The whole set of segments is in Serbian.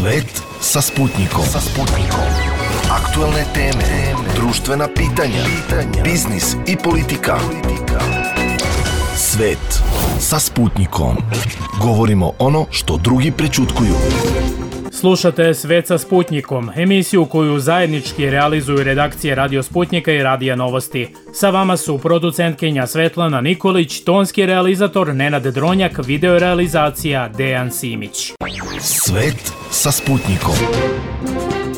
Svet sa Sputnikom. Aktuelne teme, društvena pitanja, biznis i politika. Svet sa Sputnikom. Govorimo ono što drugi prećutkuju. Slušate Svet sa Sputnikom, emisiju koju zajednički realizuju redakcije Radio Sputnika i Radija Novosti. Sa vama su producentkinja Svetlana Nikolić, tonski realizator Nenad Dronjak, video realizacija Dejan Simić. Svet sa Sputnikom.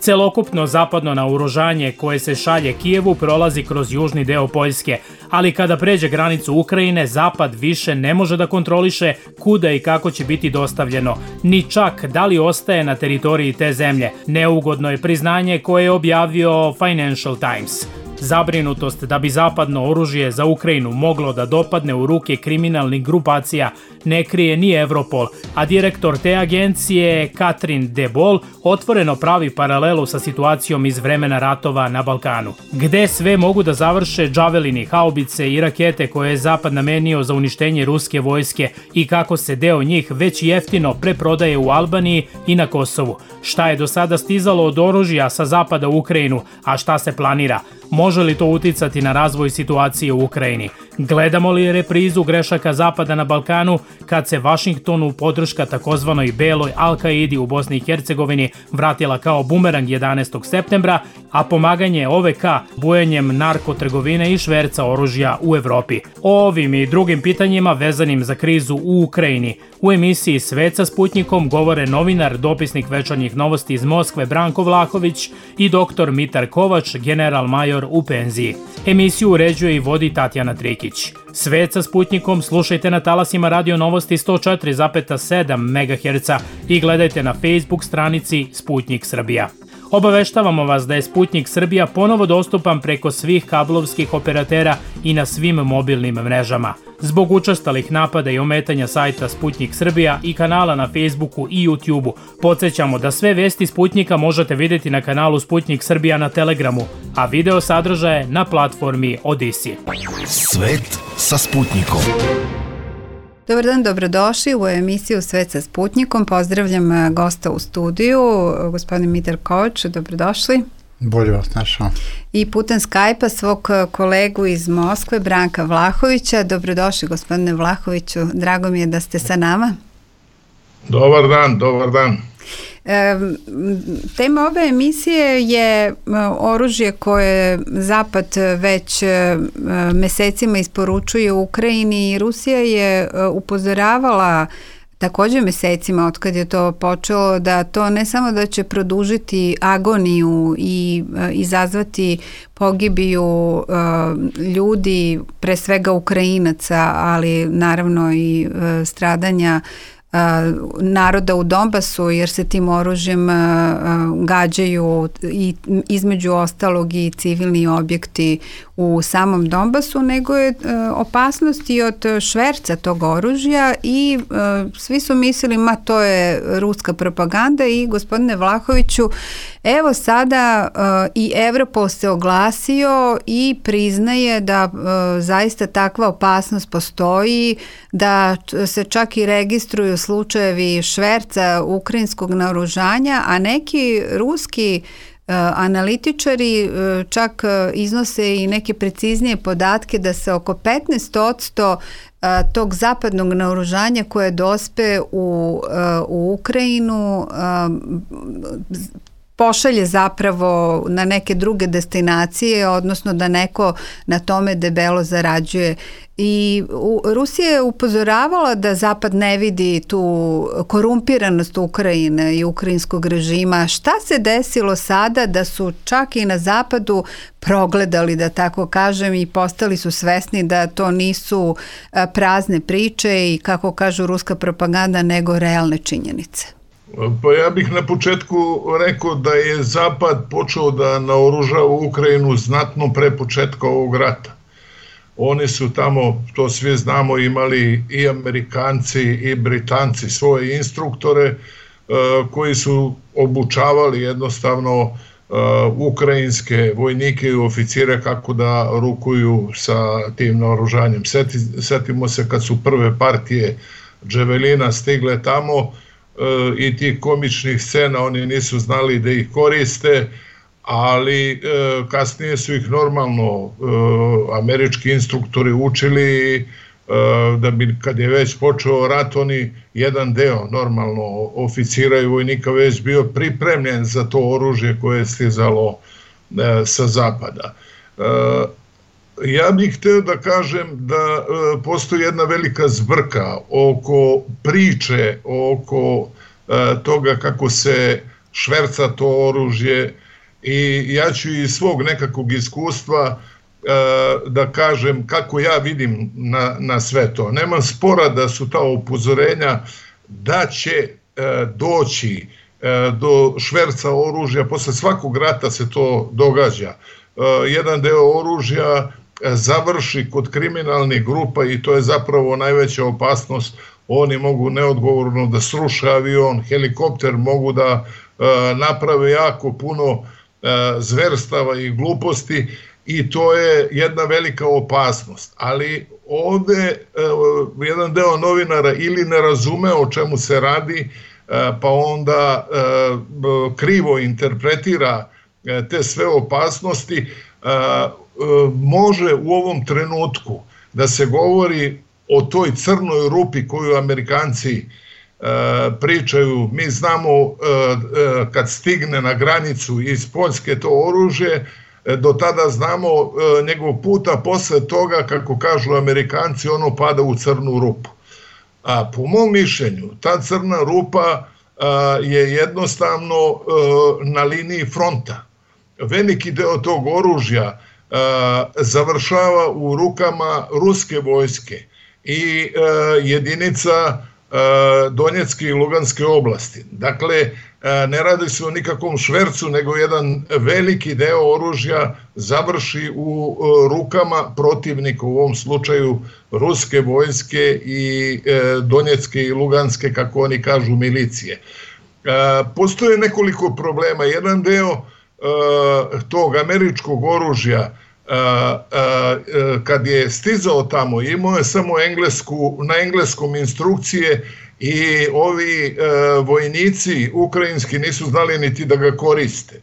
Celokupno zapadno naoružanje koje se šalje Kijevu prolazi kroz južni deo Poljske, ali kada pređe granicu Ukrajine, Zapad više ne može da kontroliše kuda i kako će biti dostavljeno, ni čak da li ostaje na teritoriji te zemlje. Neugodno je priznanje koje je objavio Financial Times. Zabrinutost da bi zapadno oružje za Ukrajinu moglo da dopadne u ruke kriminalnih grupacija ne krije ni Europol, a direktor te agencije Katrin de Boll otvoreno pravi paralelu sa situacijom iz vremena ratova na Balkanu. Gde sve mogu da završe džavelini, haubice i rakete koje je Zapad namenio za uništenje ruske vojske i kako se deo njih već jeftino preprodaje u Albaniji i na Kosovu. Šta je do sada stizalo od oružja sa Zapada u Ukrajinu, a šta se planira? Može li to uticati na razvoj situacije u Ukrajini? Gledamo li reprizu grešaka Zapada na Balkanu kad se Vašingtonu podrška takozvanoj beloj Al-Kaidi u Bosni i Hercegovini vratila kao bumerang 11. septembra, a pomaganje OVK bujenjem narkotrgovine i šverca oružja u Evropi? O ovim i drugim pitanjima vezanim za krizu u Ukrajini u emisiji Svet sa Sputnikom govore novinar, dopisnik Večernjih novosti iz Moskve Branko Vlahović i dr. Mitar Kovač, general major u penziji. Emisiju uređuje i vodi Tatjana Trikić. Svet sa Sputnikom slušajte na talasima Radio Novosti 104,7 MHz i gledajte na Facebook stranici Sputnik Srbija. Obaveštavamo vas da je Sputnik Srbija ponovo dostupan preko svih kablovskih operatera i na svim mobilnim mrežama. Zbog učestalih napada i ometanja sajta Sputnik Srbija i kanala na Facebooku i YouTubeu, podsjećamo da sve vesti Sputnika možete vidjeti na kanalu Sputnik Srbija na Telegramu, a video sadržaje na platformi Odisi. Svet sa Sputnikom. Dobar dan, dobrodošli u emisiju Svet sa Sputnikom. Pozdravljam gosta u studiju, gospodin Mitar Kovač, dobrodošli. Bolje vas našao. I putem Skype-a svog kolegu iz Moskve, Branka Vlahovića. Dobrodošli, gospodine Vlahoviću, drago mi je da ste sa nama. Dobar dan. Tema ove emisije je oružje koje Zapad već mesecima isporučuje u Ukrajini i Rusija je upozoravala također mesecima od kad je to počelo da to ne samo da će produžiti agoniju i izazvati pogibiju ljudi, pre svega Ukrajinaca, ali naravno i stradanja naroda u Donbasu, jer se tim oružjem gađaju i između ostalog i civilni objekti u samom Donbasu, nego je opasnost i od šverca tog oružja i svi su mislili to je ruska propaganda i gospodine Vlahoviću, evo sada i Europol se oglasio i priznaje da zaista takva opasnost postoji, da se čak i registruju slučajevi šverca ukrajinskog naoružanja, a neki ruski analitičari čak iznose i neke preciznije podatke da se oko 15% tog zapadnog naoružanja koje dospe u Ukrajinu pošalje zapravo na neke druge destinacije, odnosno da neko na tome debelo zarađuje. I Rusija je upozoravala da Zapad ne vidi tu korumpiranost Ukrajine i ukrajinskog režima. Šta se desilo sada da su čak i na Zapadu progledali, da tako kažem, i postali su svesni da to nisu prazne priče i, kako kažu, ruska propaganda, nego realne činjenice? Pa ja bih na početku rekao da je Zapad počeo da naoružava Ukrajinu znatno pre početka ovog rata. Oni su tamo, to svi znamo, imali i Amerikanci i Britanci svoje instruktore koji su obučavali jednostavno ukrajinske vojnike i oficire kako da rukuju sa tim naoružanjem. Setimo se kad su prve partije dževelina stigle tamo, i tih komičnih scena, oni nisu znali da ih koriste, ali kasnije su ih normalno američki instruktori učili da bi kad je već počeo rat, oni jedan deo normalno oficira i vojnika već bio pripremljen za to oružje koje je stizalo sa zapada. Ja bih hteo da kažem da postoji jedna velika zbrka oko priče, oko toga kako se šverca to oružje, i ja ću iz svog nekakvog iskustva da kažem kako ja vidim na sve to. Nemam spora da su ta upozorenja da će doći do šverca oružja, posle svakog rata se to događa. Jedan deo oružja završi kod kriminalnih grupa i to je zapravo najveća opasnost. Oni mogu neodgovorno da sruše avion, helikopter, mogu da naprave jako puno zverstava i gluposti i to je jedna velika opasnost. Ali ovde jedan deo novinara ili ne razume o čemu se radi, pa onda krivo interpretira te sve opasnosti. Može u ovom trenutku da se govori o toj crnoj rupi koju Amerikanci pričaju. Mi znamo kad stigne na granicu iz Poljske to oružje, do tada znamo njegov put, a posle toga, kako kažu Amerikanci, ono pada u crnu rupu. A po mom mišljenju, ta crna rupa je jednostavno na liniji fronta. Veliki deo tog oružja završava u rukama ruske vojske i jedinica Donjecke i Luganske oblasti. Dakle, ne radi se o nikakvom švercu, nego jedan veliki deo oružja završi u rukama protivnika, u ovom slučaju ruske vojske i Donjecke i Luganske, kako oni kažu, milicije. Postoje nekoliko problema. Jedan deo tog američkog oružja, kad je stizao tamo, imao je samo na engleskom instrukcije i ovi vojnici ukrajinski nisu znali niti da ga koriste.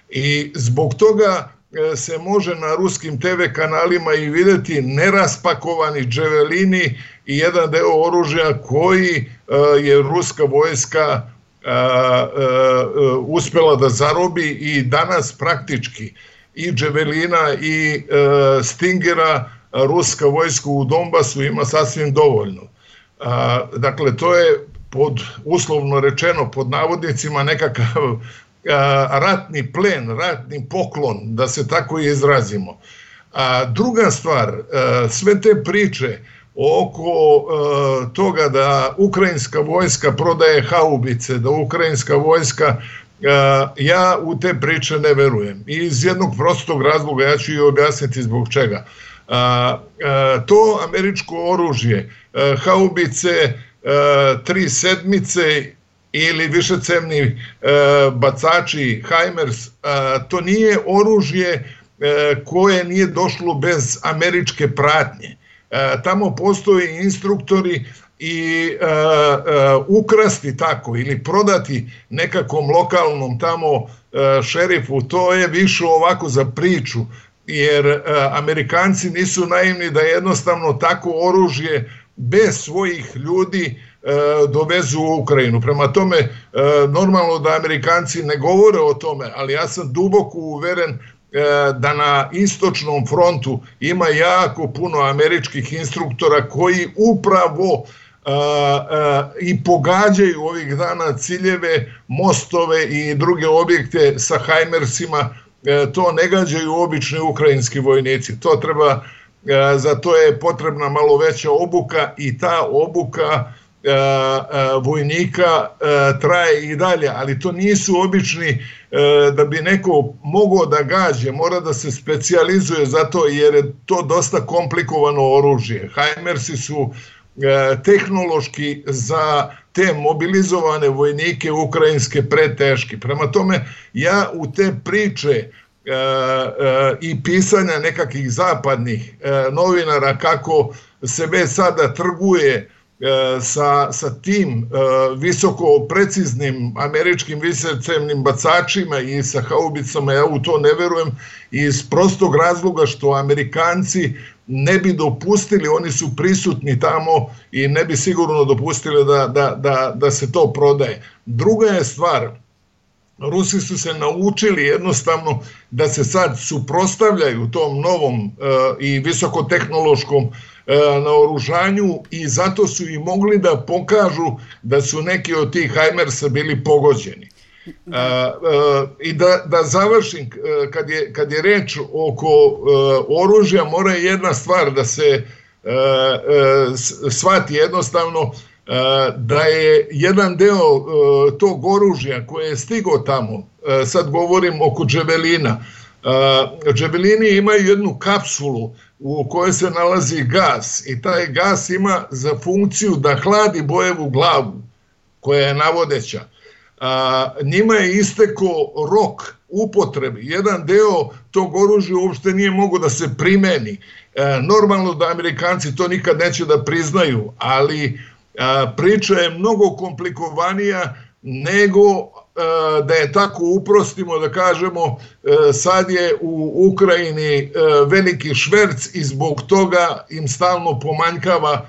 I zbog toga se može na ruskim TV kanalima i videti neraspakovani dževelini i jedan deo oružja koji je ruska vojska uspela da zarobi i danas praktički i dževelina i stingera ruska vojska u Donbasu ima sasvim dovoljno. Dakle, to je uslovno rečeno pod navodnicima nekakav ratni plen, ratni poklon, da se tako izrazimo. Druga stvar, sve te priče oko toga da ukrajinska vojska prodaje haubice, da ukrajinska vojska, ja u te priče ne verujem. I iz jednog prostog razloga, ja ću i objasniti zbog čega. To američko oružje, haubice, 3/7 ili višecevni bacači HIMARS, to nije oružje koje nije došlo bez američke pratnje. Tamo postoje instruktori i ukrasti tako ili prodati nekakvom lokalnom tamo šerifu, to je više ovako za priču, jer Amerikanci nisu naivni da jednostavno tako oružje bez svojih ljudi dovezu u Ukrajinu. Prema tome, normalno da Amerikanci ne govore o tome, ali ja sam duboko uveren da na istočnom frontu ima jako puno američkih instruktora koji upravo i pogađaju ovih dana ciljeve, mostove i druge objekte sa HIMARSima. To ne gađaju obični ukrajinski vojnici. Za to je potrebna malo veća obuka i ta obuka vojnika traje i dalje, ali to nisu obični, da bi neko mogao da gađe, mora da se specijalizuje za to, jer je to dosta komplikovano oružje. HIMARSi su tehnološki za te mobilizovane vojnike ukrajinske preteški. Prema tome, ja u te priče i pisanja nekakvih zapadnih novinara kako se već sada trguje sa tim visoko preciznim američkim višecevnim bacačima i sa haubicama, ja u to ne verujem, iz prostog razloga što Amerikanci ne bi dopustili, oni su prisutni tamo i ne bi sigurno dopustili da se to prodaje. Druga je stvar, Rusi su se naučili jednostavno da se sad suprotstavljaju tom novom i visokotehnološkom naoružanju i zato su i mogli da pokažu da su neki od tih Hajmersa bili pogođeni. I da završim, kad je reč oko oružja, mora jedna stvar da se shvati jednostavno, da je jedan deo tog oružja koje je stigo tamo, sad govorim oko dževelina, dževelini imaju jednu kapsulu u kojoj se nalazi gas i taj gas ima za funkciju da hladi bojevu glavu koja je navodeća. Njima je istekao rok upotrebe. Jedan deo tog oružja uopšte nije mogo da se primeni. Normalno da Amerikanci to nikad neće da priznaju, ali priča je mnogo komplikovanija nego da je tako uprostimo, da kažemo sad je u Ukrajini veliki šverc i zbog toga im stalno pomanjkava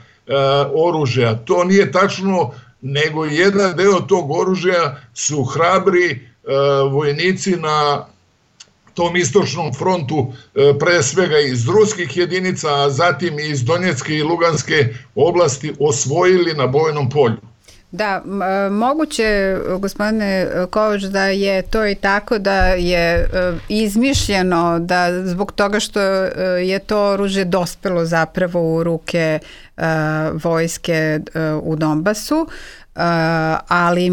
oružja. To nije tačno, nego jedan deo tog oružja su hrabri vojnici na tom istočnom frontu, pre svega iz ruskih jedinica, a zatim i iz Donjecke i Luganske oblasti osvojili na bojnom polju. Da, moguće, gospodine Kovač, da je to i tako, da je izmišljeno da zbog toga što je to oružje dospelo zapravo u ruke vojske u Donbasu, ali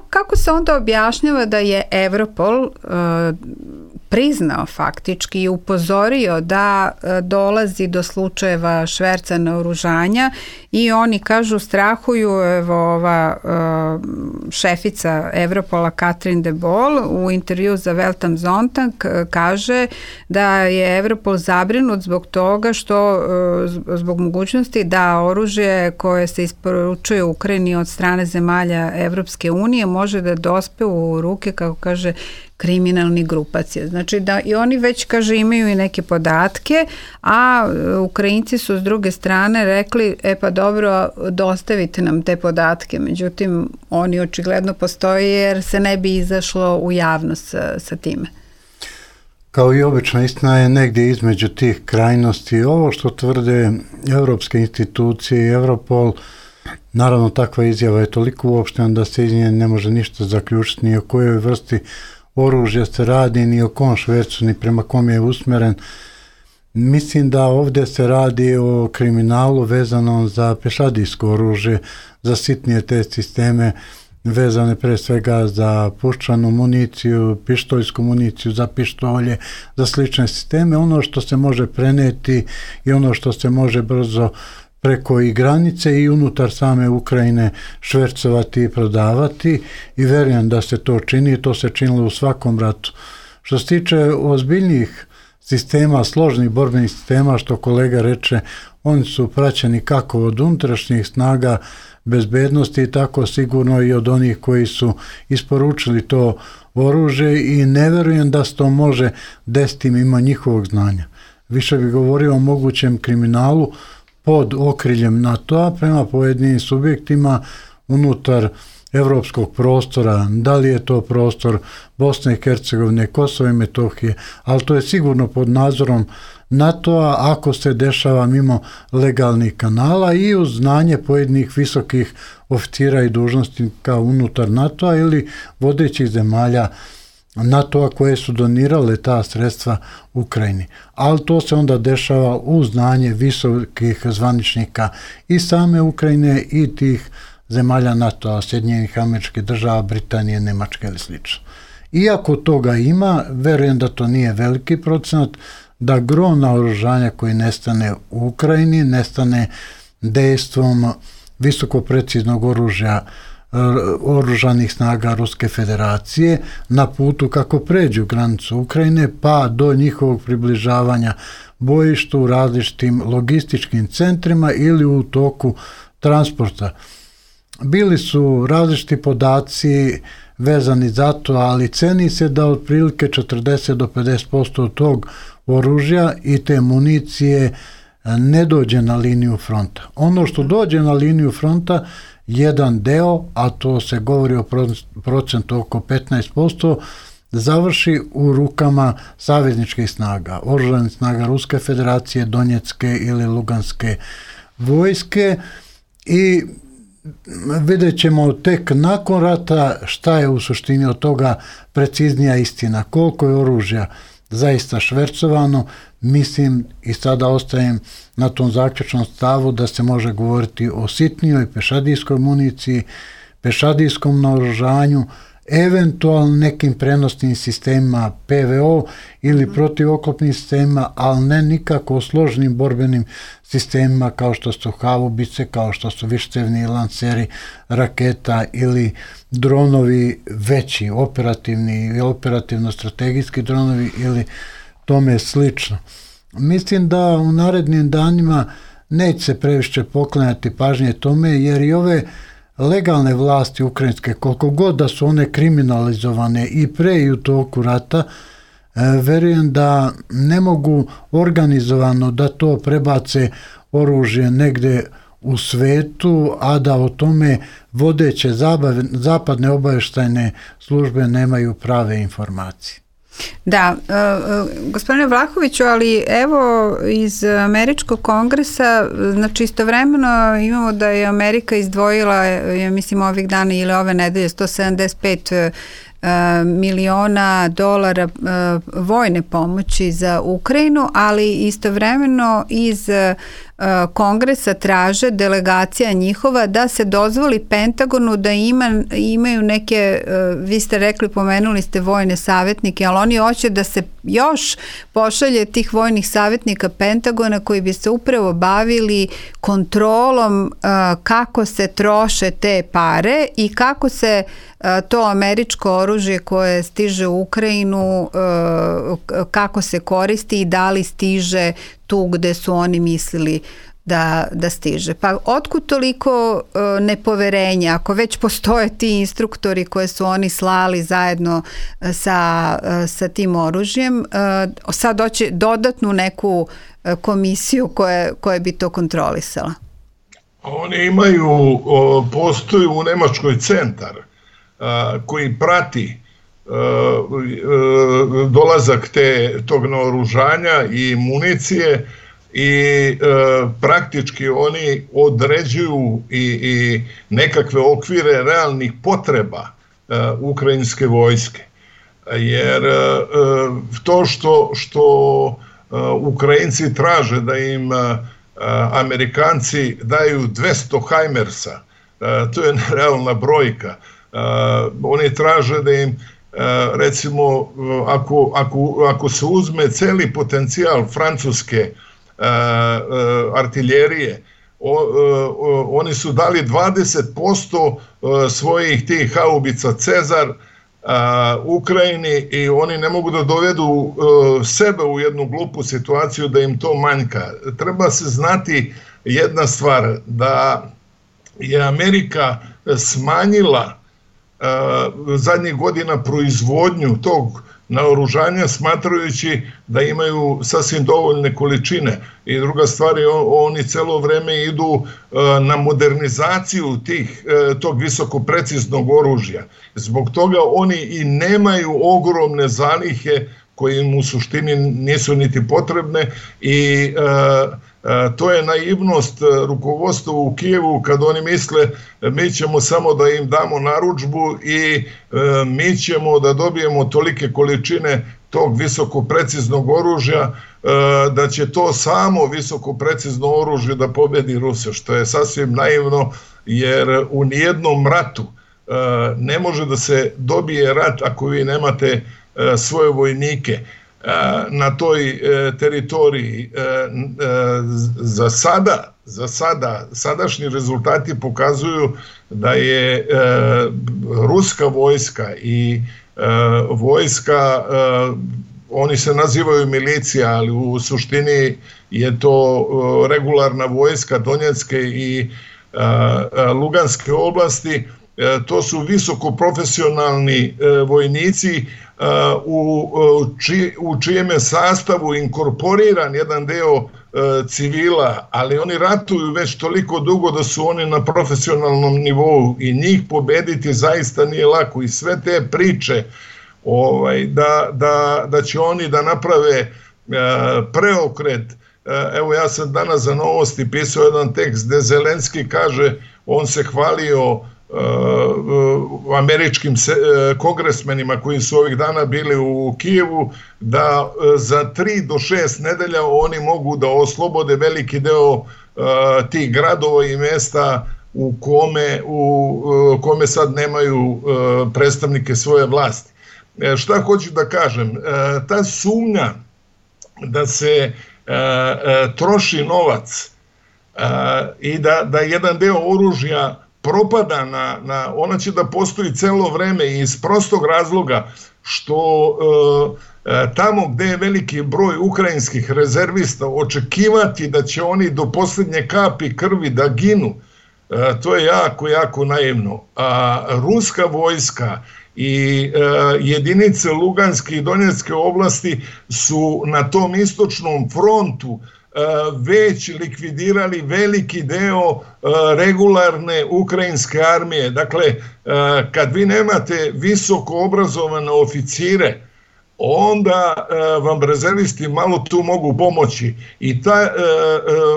kako se onda objašnjava da je Evropol priznao faktički i upozorio da dolazi do slučajeva šverca naoružanja i oni kažu, strahuju, evo ova šefica Evropola Katrin de Boll u intervju za Welt am Sonntag kaže da je Evropol zabrinut zbog toga što zbog mogućnosti da oružje koje se isporučuje Ukrajini od strane zemalja Evropske unije može da dospe u ruke, kako kaže, kriminalnih grupacija. Znači da i oni već, kaže, imaju i neke podatke, a Ukrajinci su s druge strane rekli, pa dobro, dostavite nam te podatke. Međutim, oni očigledno postoje jer se ne bi izašlo u javnost sa time. Kao i obično, istina je negdje između tih krajnosti. Ovo što tvrde evropske institucije i Europol, naravno takva izjava je toliko uopštena da se iz nje ne može ništa zaključiti, ni o kojoj vrsti oružja se radi, ni o kom švercu, ni prema kom je usmeren. Mislim da ovdje se radi o kriminalu vezanom za pešadijsko oružje, za sitnije te sisteme vezane pre svega za puščanu municiju, pištoljsku municiju, za pištolje, za slične sisteme. Ono što se može preneti i ono što se može brzo preko i granice i unutar same Ukrajine švercovati i prodavati, i verujem da se to čini, to se činilo u svakom ratu. Što se tiče ozbiljnijih sistema, složnih borbenih sistema, što kolega reče, oni su praćeni kako od unutrašnjih snaga bezbednosti, tako sigurno i od onih koji su isporučili to oružje, i ne verujem da se to može desiti mimo njihovog znanja. Više bi govorio o mogućem kriminalu pod okriljem NATO-a prema pojedinim subjektima unutar evropskog prostora, da li je to prostor Bosne i Hercegovine, Kosova i Metohije, ali to je sigurno pod nadzorom NATO-a ako se dešava mimo legalnih kanala i uz znanje pojedinih visokih oficira i dužnosnika unutar NATO-a ili vodećih zemalja NATO-a koje su donirale ta sredstva Ukrajini. Ali to se onda dešava u znanje visokih zvaničnika i same Ukrajine i tih zemalja NATO-a, Sjedinjenih Američkih Država, Britanije, Nemačke ili slično. Iako toga ima, verujem da to nije veliki procenat, da gro naoružanja koji nestane u Ukrajini, nestane dejstvom visoko preciznog oružja oružanih snaga Ruske federacije na putu kako pređu granicu Ukrajine pa do njihovog približavanja bojištu u različitim logističkim centrima ili u toku transporta. Bili su različiti podaci vezani za to, ali ceni se da otprilike 40 do 50% od tog oružja i te municije ne dođe na liniju fronta. Ono što dođe na liniju fronta, jedan deo, a to se govori o procentu oko 15%, završi u rukama savezničkih snaga, oružanih snaga Ruske federacije, Donjecke ili Luganske vojske, i vidjet ćemo tek nakon rata šta je u suštini od toga preciznija istina, koliko je oružja zaista švercovano. Mislim, i sada ostajem na tom zaključnom stavu, da se može govoriti o sitnijoj pešadijskoj municiji, pešadijskom naoružanju, eventualno nekim prenosnim sistemima PVO ili protivoklopnim sistemima, ali ne nikako o složenim borbenim sistemima kao što su haubice, kao što su višecevni lanseri raketa ili dronovi veći, operativni i operativno-strategijski dronovi ili tome slično. Mislim da u narednim danima neće se previše poklanjati pažnje tome, jer i ove legalne vlasti ukrajinske, koliko god da su one kriminalizovane i pre i u toku rata, verujem da ne mogu organizovano da to prebace oružje negde u svetu, a da o tome vodeće zapadne obavještajne službe nemaju prave informacije. Da, gospodine Vlahoviću, ali evo iz Američkog kongresa, znači istovremeno imamo da je Amerika izdvojila, ja mislim ovih dana ili ove nedelje, 175 miliona dolara vojne pomoći za Ukrajinu, ali istovremeno iz Kongresa traže, delegacija njihova, da se dozvoli Pentagonu da imaju neke, vi ste rekli, pomenuli ste vojne savjetnike, ali oni hoće da se još pošalje tih vojnih savjetnika Pentagona koji bi se upravo bavili kontrolom kako se troše te pare i kako se to američko oružje koje stiže u Ukrajinu, kako se koristi i da li stiže tu gde su oni mislili da stiže. Pa otkud toliko nepoverenja, ako već postoje ti instruktori koje su oni slali zajedno sa tim oružjem, sad doći dodatnu neku komisiju koja bi to kontrolisala? Oni imaju, postoji u Nemačkoj centar koji prati dolazak tog naoružanja i municije i praktički oni određuju i nekakve okvire realnih potreba ukrajinske vojske. Jer to što Ukrajinci traže da im Amerikanci daju 200 Heimersa, to je realna brojka. Oni traže da im, recimo, ako se uzme celi potencijal francuske artiljerije, oni su dali 20% svojih tih haubica Cezar Ukrajini i oni ne mogu da dovedu sebe u jednu glupu situaciju da im to manjka. Treba se znati jedna stvar, da je Amerika smanjila zadnjih godina proizvodnju tog naoružanja smatrajući da imaju sasvim dovoljne količine. I druga stvar je, oni celo vreme idu na modernizaciju tog visokopreciznog oružja. Zbog toga oni i nemaju ogromne zalihe koje im u suštini nisu niti potrebne i to je naivnost rukovodstva u Kijevu kad oni misle mi ćemo samo da im damo narudžbu i mi ćemo da dobijemo tolike količine tog visokopreciznog oružja da će to samo visokoprecizno oružje da pobedi Ruse, što je sasvim naivno jer u nijednom ratu ne može da se dobije rat ako vi nemate svoje vojnike na toj teritoriji. Za sada, sadašnji rezultati pokazuju da je ruska vojska i vojska, oni se nazivaju milicija, ali u suštini je to regularna vojska Donjecke i Luganske oblasti. To su visoko profesionalni vojnici u čijem je sastavu inkorporiran jedan deo civila, ali oni ratuju već toliko dugo da su oni na profesionalnom nivou i njih pobediti zaista nije lako. I sve te priče da će oni da naprave preokret. Evo, ja sam danas za Novosti pisao jedan tekst gde Zelenski kaže, on se hvalio američkim kongresmenima koji su ovih dana bili u Kijevu, da za 3 do 6 nedelja oni mogu da oslobode veliki deo tih gradova i mesta u kome sad nemaju predstavnike svoje vlasti. Šta hoću da kažem? Ta sumnja da se troši novac i da jedan deo oružja propada ona će da postoji celo vreme iz prostog razloga što tamo gde je veliki broj ukrajinskih rezervista očekivati da će oni do poslednje kapi krvi da ginu, to je jako, jako naivno. A ruska vojska i jedinice Luganske i Donjecke oblasti su na tom istočnom frontu već likvidirali veliki deo regularne ukrajinske armije. Dakle, kad vi nemate visoko obrazovane oficire, onda vam rezervisti malo tu mogu pomoći. I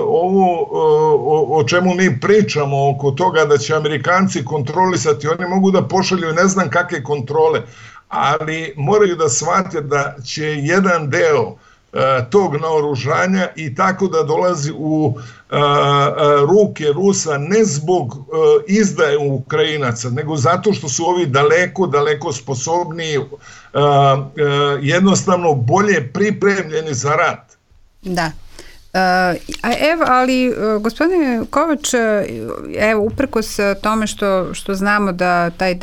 ovo o čemu mi pričamo oko toga da će Amerikanci kontrolisati, oni mogu da pošalju ne znam kakve kontrole, ali moraju da shvate da će jedan deo tog naoružanja i tako da dolazi u ruke Rusa ne zbog izdaje Ukrajinaca, nego zato što su ovi daleko sposobniji, jednostavno bolje pripremljeni za rat. Da. Ali gospodine Kovač, evo, uprkos tome što znamo da taj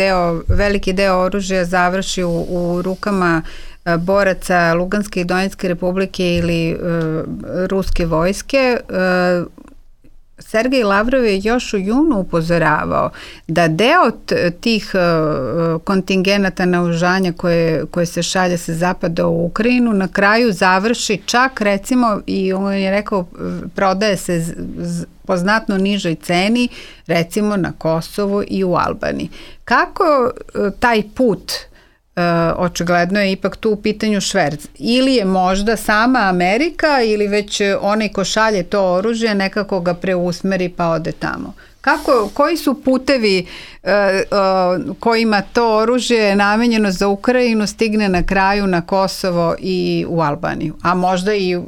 veliki deo oružja završi u rukama boraca Luganske i Donjecke republike ili ruske vojske, Sergej Lavrov je još u junu upozoravao da deo tih kontingenata naoružanja koje se šalje sa zapada u Ukrajinu na kraju završi čak, recimo, i on je rekao, prodaje se po znatno nižoj ceni, recimo na Kosovu i u Albaniji. Kako taj put, očigledno je ipak tu u pitanju šverc, ili je možda sama Amerika ili već onaj ko šalje to oružje nekako ga preusmeri pa ode tamo? Koji su putevi kojima to oružje namenjeno za Ukrajinu stigne na kraju na Kosovo i u Albaniju, a možda i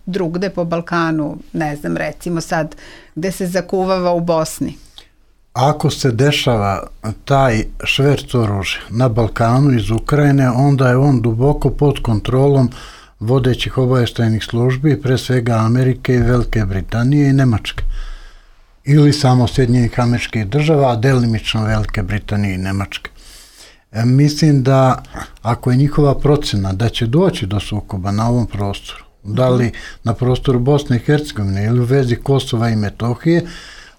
drugde po Balkanu, ne znam, recimo sad gde se zakuvava u Bosni? Ako se dešava taj šverc oružja na Balkanu iz Ukrajine, onda je on duboko pod kontrolom vodećih obavještajnih službi, pre svega Amerike i Velike Britanije i Nemačke. Ili samo Sjedinjenih Američkih Država, a delimično Velike Britanije i Nemačke. Mislim da ako je njihova procena da će doći do sukoba na ovom prostoru, da li na prostoru Bosne i Hercegovine ili u vezi Kosova i Metohije,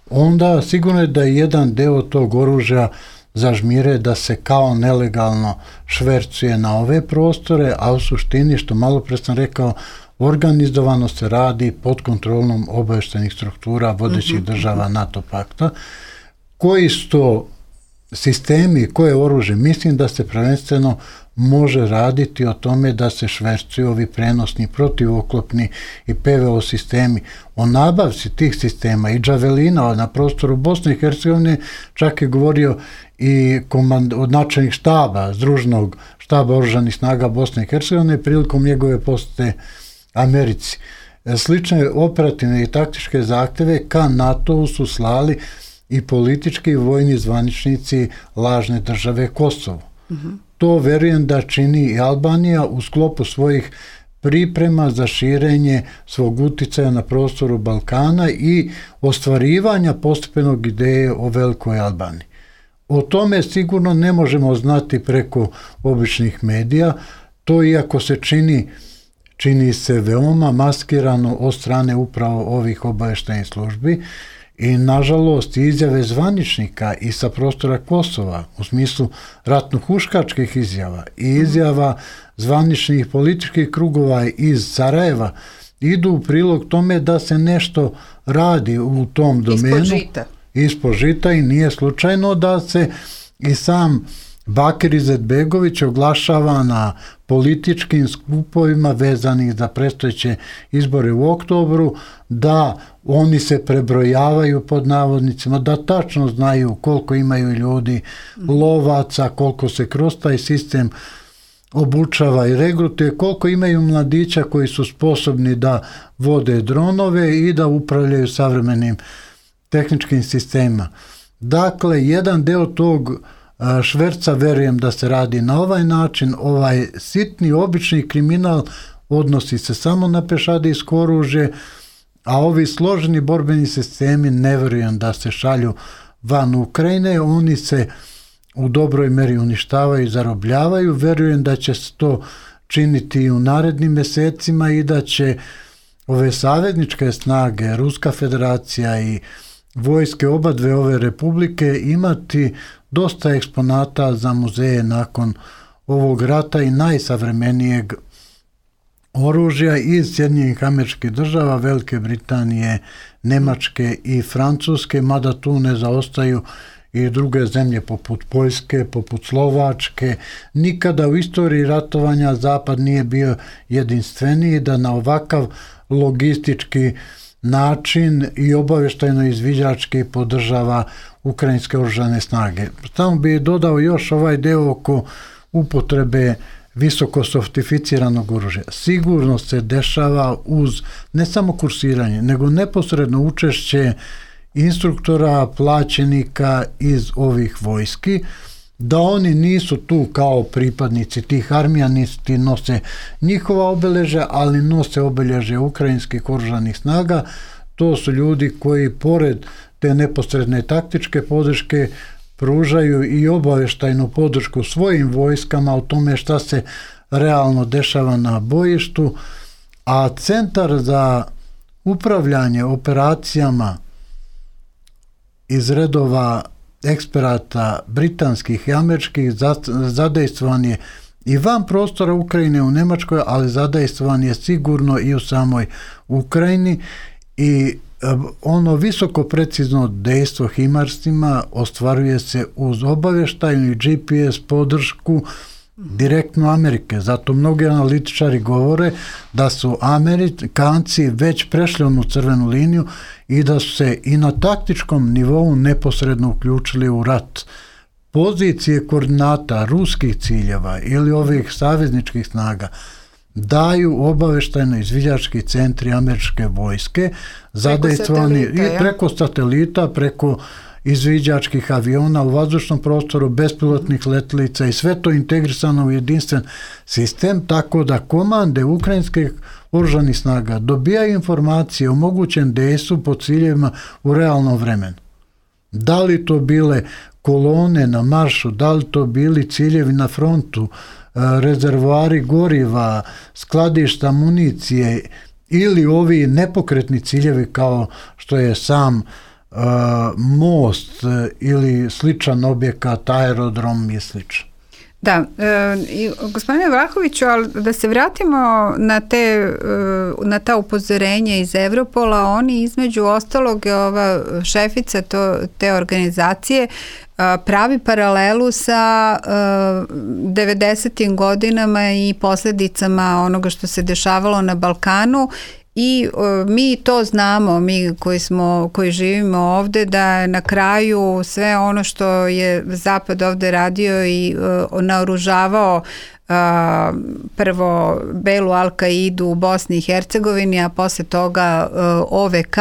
onda sigurno je da je jedan deo tog oružja zažmire da se kao nelegalno švercuje na ove prostore, a u suštini, što malo pre sam rekao, organizovano se radi pod kontrolom obavještajnih struktura vodećih država NATO pakta. Koji su to sistemi, koje oružje? Mislim da se prvenstveno može raditi o tome da se švercuju ovi prenosni, protivoklopni i PVO sistemi. O nabavci tih sistema i džavelina na prostoru Bosne i Hercegovine čak je govorio i od načelnih štaba, Združenog štaba oružanih snaga Bosne i Hercegovine prilikom njegove posete Americi. Slične operativne i taktičke zahteve ka NATO-u su slali i politički i vojni zvaničnici lažne države Kosovo. To verujem da čini i Albanija u sklopu svojih priprema za širenje svog uticaja na prostoru Balkana i ostvarivanja postepenog ideje o velikoj Albaniji. O tome sigurno ne možemo znati preko običnih medija, to iako se čini se veoma maskirano od strane upravo ovih obavještajnih službi, I nažalost izjave zvaničnika i sa prostora Kosova u smislu ratno-huškačkih izjava i izjava zvaničnih političkih krugova iz Sarajeva idu u prilog tome da se nešto radi u tom domenu. Ispod žita i nije slučajno da se i sam Bakir Izetbegović oglašava na političkim skupovima vezanih za predstojeće izbore u oktobru, da oni se prebrojavaju pod navodnicima, da tačno znaju koliko imaju ljudi lovaca, koliko se kroz taj sistem obučava i regrutuje, koliko imaju mladića koji su sposobni da vode dronove i da upravljaju savremenim tehničkim sistemima. Dakle, jedan deo tog šverca, verujem da se radi na ovaj način, ovaj sitni, obični kriminal odnosi se samo na pešadijsko oružje, a ovi složeni borbeni sistemi ne verujem da se šalju van Ukrajine, oni se u dobroj meri uništavaju i zarobljavaju, verujem da će se to činiti i u narednim mesecima i da će ove savezničke snage, Ruska federacija i vojske oba dve ove republike imati dosta eksponata za muzeje nakon ovog rata i najsavremenijeg oružja iz Sjedinjenih Američkih Država, Velike Britanije, Nemačke i Francuske, mada tu ne zaostaju i druge zemlje poput Poljske, poput Slovačke. Nikada u istoriji ratovanja Zapad nije bio jedinstveniji da na ovakav logistički način i obavještajno izviđački podržava ukrajinske oružane snage. Samo bih dodao još ovaj deo oko upotrebe visoko softificiranog oružja. Sigurno se dešava uz ne samo kursiranje, nego neposredno učešće instruktora, plaćenika iz ovih vojski, da oni nisu tu kao pripadnici tih armija, niti nose njihova obeležja, ali nose obeležje ukrajinskih oružanih snaga. To su ljudi koji pored te neposredne taktičke podrške pružaju i obavještajnu podršku svojim vojskama o tome šta se realno dešava na bojištu, a Centar za upravljanje operacijama iz redova eksperata britanskih i američkih zadejstvovan je i van prostora Ukrajine u Nemačkoj, ali zadejstvovan je sigurno i u samoj Ukrajini i ono visoko precizno dejstvo himarsima ostvaruje se uz obavještajnu i GPS podršku direktno Amerike. Zato mnogi analitičari govore da su Amerikanci već prešli onu crvenu liniju i da su se i na taktičkom nivou neposredno uključili u rat. Pozicije koordinata ruskih ciljeva ili ovih savezničkih snaga daju obavještajno izviđački centri američke vojske, zadejstvovani i preko satelita, preko izviđačkih aviona u vazdušnom prostoru, bespilotnih letelica i sve to integrisano u jedinstven sistem, tako da komande ukrajinskih oružanih snaga dobijaju informacije o mogućem dejstvu po ciljevima u realnom vremenu. Da li to bile kolone na maršu, da li to bili ciljevi na frontu, rezervoari goriva, skladišta municije ili ovi nepokretni ciljevi kao što je sam most ili sličan objekat, aerodrom i slično. Da, gospodine Vlahoviću, ali da se vratimo na ta upozorenja iz Evropola, oni između ostalog je ova šefica te organizacije pravi paralelu sa 90. godinama i posljedicama onoga što se dešavalo na Balkanu. I mi to znamo, mi koji živimo ovde, da na kraju sve ono što je Zapad ovde radio i naoružavao prvo Belu Al-Kaidu u Bosni i Hercegovini, a posle toga OVK,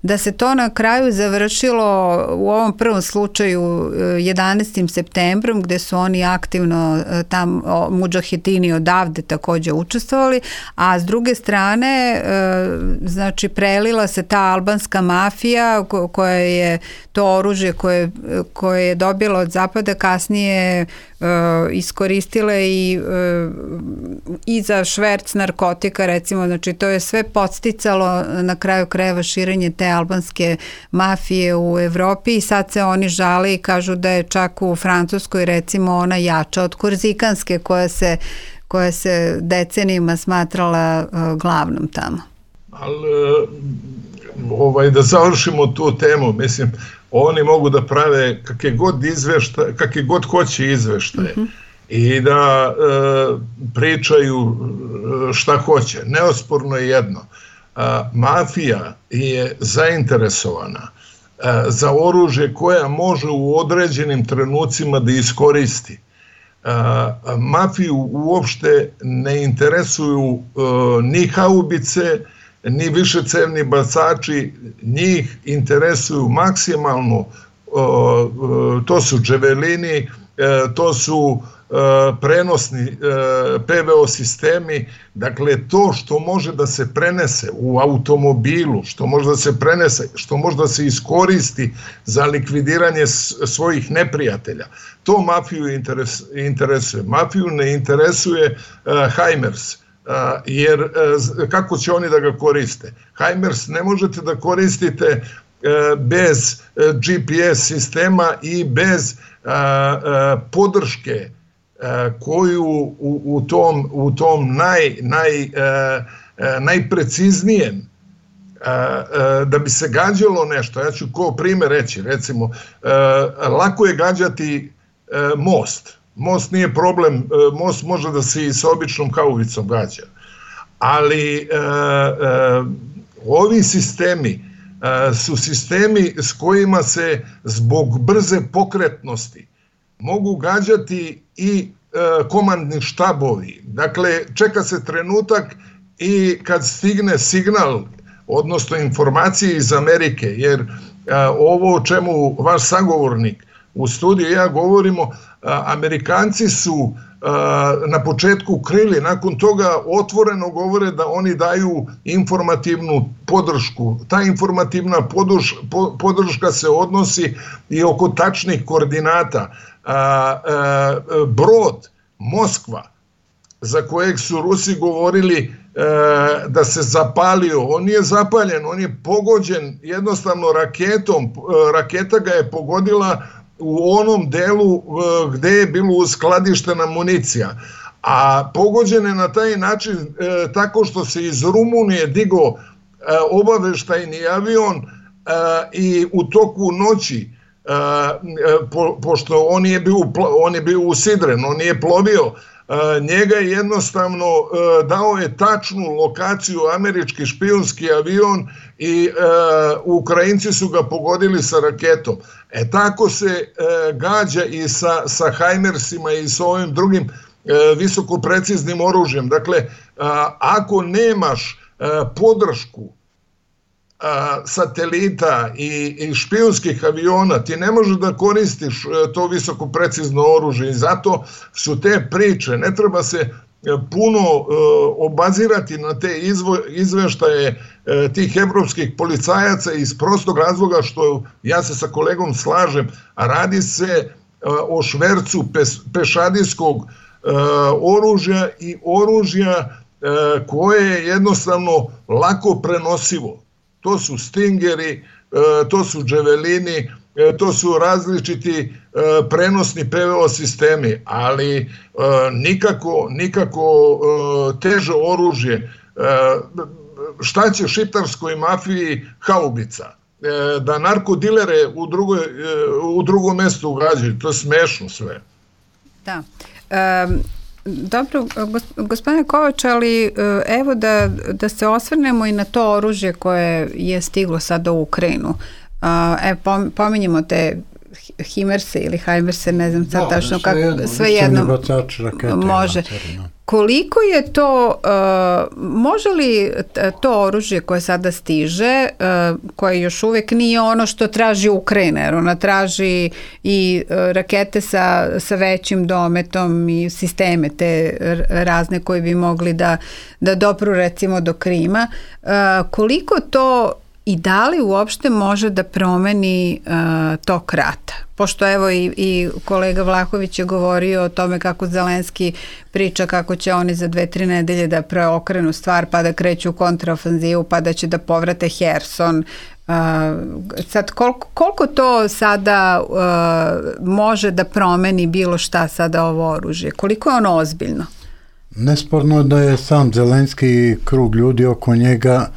da se to na kraju završilo u ovom prvom slučaju 11. septembrom, gde su oni aktivno tam mudžahedini odavde takođe učestvovali, a s druge strane znači prelila se ta albanska mafija koja je to oružje koje je dobila od Zapada kasnije iskoristile i i za šverc narkotika recimo, znači to je sve podsticalo na kraju krajeva širenje te albanske mafije u Evropi i sad se oni žale i kažu da je čak u Francuskoj recimo ona jača od korzikanske koja se decenijima smatrala glavnom tamo. Ali da završimo tu temu, mislim, oni mogu da prave kakve god hoće izveštaje i da pričaju šta hoće. Neosporno je jedno. Mafija je zainteresovana za oružje koja može u određenim trenucima da iskoristi. Mafiju uopšte ne interesuju ni haubice, ni višecevni bacači, njih interesuju maksimalno, to su dževelini, to su prenosni PVO sistemi, dakle to što može da se prenese u automobilu, što može da se prenese, što može da se iskoristi za likvidiranje svojih neprijatelja, to mafiju interesuje. Mafiju ne interesuje HIMARS, jer kako će oni da ga koriste? HIMARS ne možete da koristite bez GPS sistema i bez podrške koju u tom najpreciznijem da bi se gađalo nešto. Ja ću kao primjer reći, recimo, lako je gađati most. Most nije problem, most može da se i sa običnom haubicom gađa. Ali ovi sistemi su sistemi s kojima se zbog brze pokretnosti mogu gađati i komandni štabovi. Dakle, čeka se trenutak i kad stigne signal, odnosno informacije iz Amerike, jer ovo o čemu vaš sagovornik u studiju ja govorimo, Amerikanci su na početku krili, nakon toga otvoreno govore da oni daju informativnu podršku. Ta informativna podrška se odnosi i oko tačnih koordinata. Brod Moskva, za kojeg su Rusi govorili da se zapalio, on nije zapaljen, on je pogođen jednostavno raketom. Raketa ga je pogodila u onom delu gde je bilo uskladištena municija. A pogođen je na taj način tako što se iz Rumunije digao obaveštajni avion i u toku noći, pošto on je bio usidren, on nije plovio, njega je jednostavno dao je tačnu lokaciju američki špijunski avion i Ukrajinci su ga pogodili sa raketom. Tako se gađa i sa HIMARSima i sa ovim drugim visokopreciznim oružjem. Dakle, ako nemaš podršku satelita i špijunskih aviona, ti ne možeš da koristiš to visokoprecizno oružje i zato su te priče, ne treba se puno obazirati na te izveštaje tih evropskih policajaca iz prostog razloga što ja se sa kolegom slažem, a radi se o švercu pešadijskog oružja i oružja koje je jednostavno lako prenosivo. To su Stingeri, to su dževelini, to su različiti prenosni PVO sistemi, ali nikako teže oružje. Šta će šiptarskoj mafiji haubica? Da narkodilere u drugom mestu ugađaju, to je smešno sve. Da. Dobro, gospodine Kovač, ali evo da se osvrnemo i na to oružje koje je stiglo sada u Ukrajinu. Pominjemo te HIMARS-e ili HIMARS-e, ne znam sad tačno kako, svejedno može. Koliko je to, može li to oružje koje sada stiže, koje još uvijek nije ono što traži Ukrajina, jer ona traži i rakete sa većim dometom i sisteme te razne koje bi mogli da dopru recimo do Krima, koliko to i da li uopšte može da promeni tok rata. Pošto evo i kolega Vlahović je govorio o tome kako Zelenski priča kako će oni za 2-3 nedelje da preokrenu stvar pa da kreću u kontraofanzivu pa da će da povrate Herson. Sad koliko to sada može da promeni bilo šta sada ovo oružje? Koliko je ono ozbiljno? Nesporno da je sam Zelenski i krug ljudi oko njega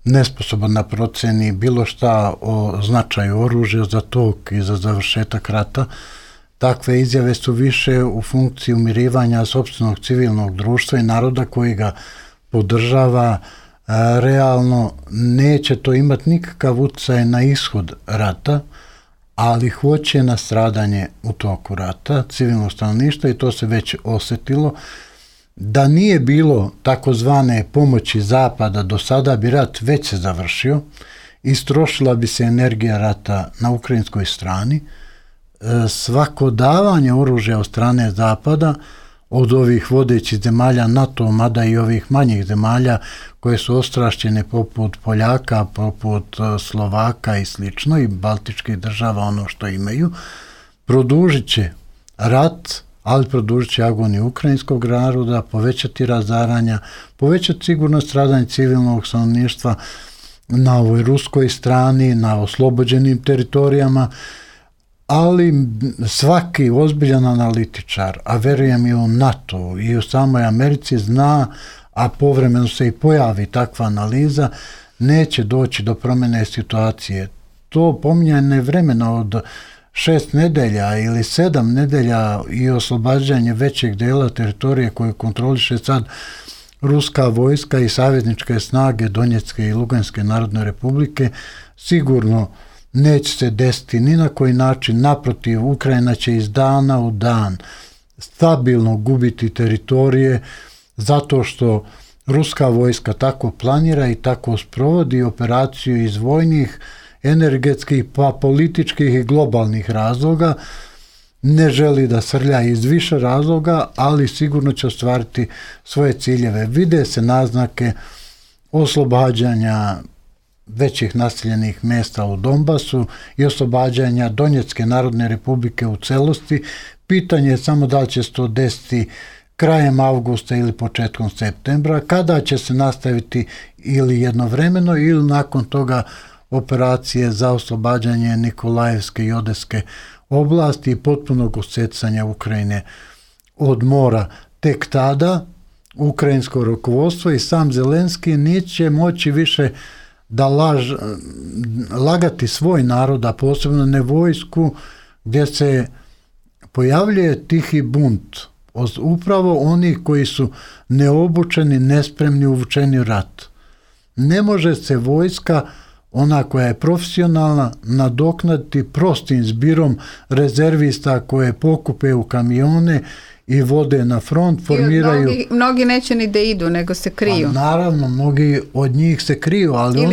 nesposoban da proceni bilo šta o značaju oružja za tok i za završetak rata. Takve izjave su više u funkciji umirivanja sopstvenog civilnog društva i naroda koji ga podržava. Realno neće to imati nikakav utjecaj na ishod rata, ali hoće na stradanje u toku rata civilnog stanovništva i to se već osjetilo. Da nije bilo takozvane pomoći Zapada do sada bi rat već se završio, istrošila bi se energija rata na ukrajinskoj strani. Svako davanje oružja od strane Zapada, od ovih vodećih zemalja NATO, mada i ovih manjih zemalja koje su ostrašćene poput Poljaka, poput Slovaka i slično, i baltičkih država ono što imaju, produžit će rat, ali produžit će agoniju ukrajinskog naroda, povećati razaranja, povećati sigurno stradanje civilnog stanovništva na ovoj ruskoj strani, na oslobođenim teritorijama, ali svaki ozbiljan analitičar, a verujem i u NATO i u samoj Americi zna, a povremeno se i pojavi takva analiza, neće doći do promjene situacije. To pominjanje vremena od 6 nedelja ili 7 nedelja i oslobađanje većeg dela teritorije koje kontroliše sad ruska vojska i savezničke snage Donjecke i Luganske narodne republike, sigurno neće se desiti ni na koji način. Naprotiv, Ukrajina će iz dana u dan stabilno gubiti teritorije zato što ruska vojska tako planira i tako sprovodi operaciju iz vojnih, energetskih, pa političkih i globalnih razloga. Ne želi da srlja iz više razloga, ali sigurno će ostvariti svoje ciljeve. Vide se naznake oslobađanja većih naseljenih mjesta u Donbasu i oslobađanja Donjecke narodne republike u celosti. Pitanje je samo da li će se to desiti krajem avgusta ili početkom septembra, kada će se nastaviti ili jednovremeno ili nakon toga operacije za oslobađanje Nikolajevske i Odeske oblasti i potpunog osecanja Ukrajine od mora. Tek tada ukrajinsko rukovodstvo i sam Zelenski neće moći više da lagati svoj narod, a posebno ne vojsku, gdje se pojavljuje tihi bunt. Upravo oni koji su neobučeni, nespremni, uvučeni u rat. Ne može se vojska, ona koja je profesionalna, nadoknaditi prostim zbirom rezervista koje pokupe u kamione i vode na front, formiraju... Mnogi neće ni da idu, nego se kriju. Pa, naravno, mnogi od njih se kriju, ali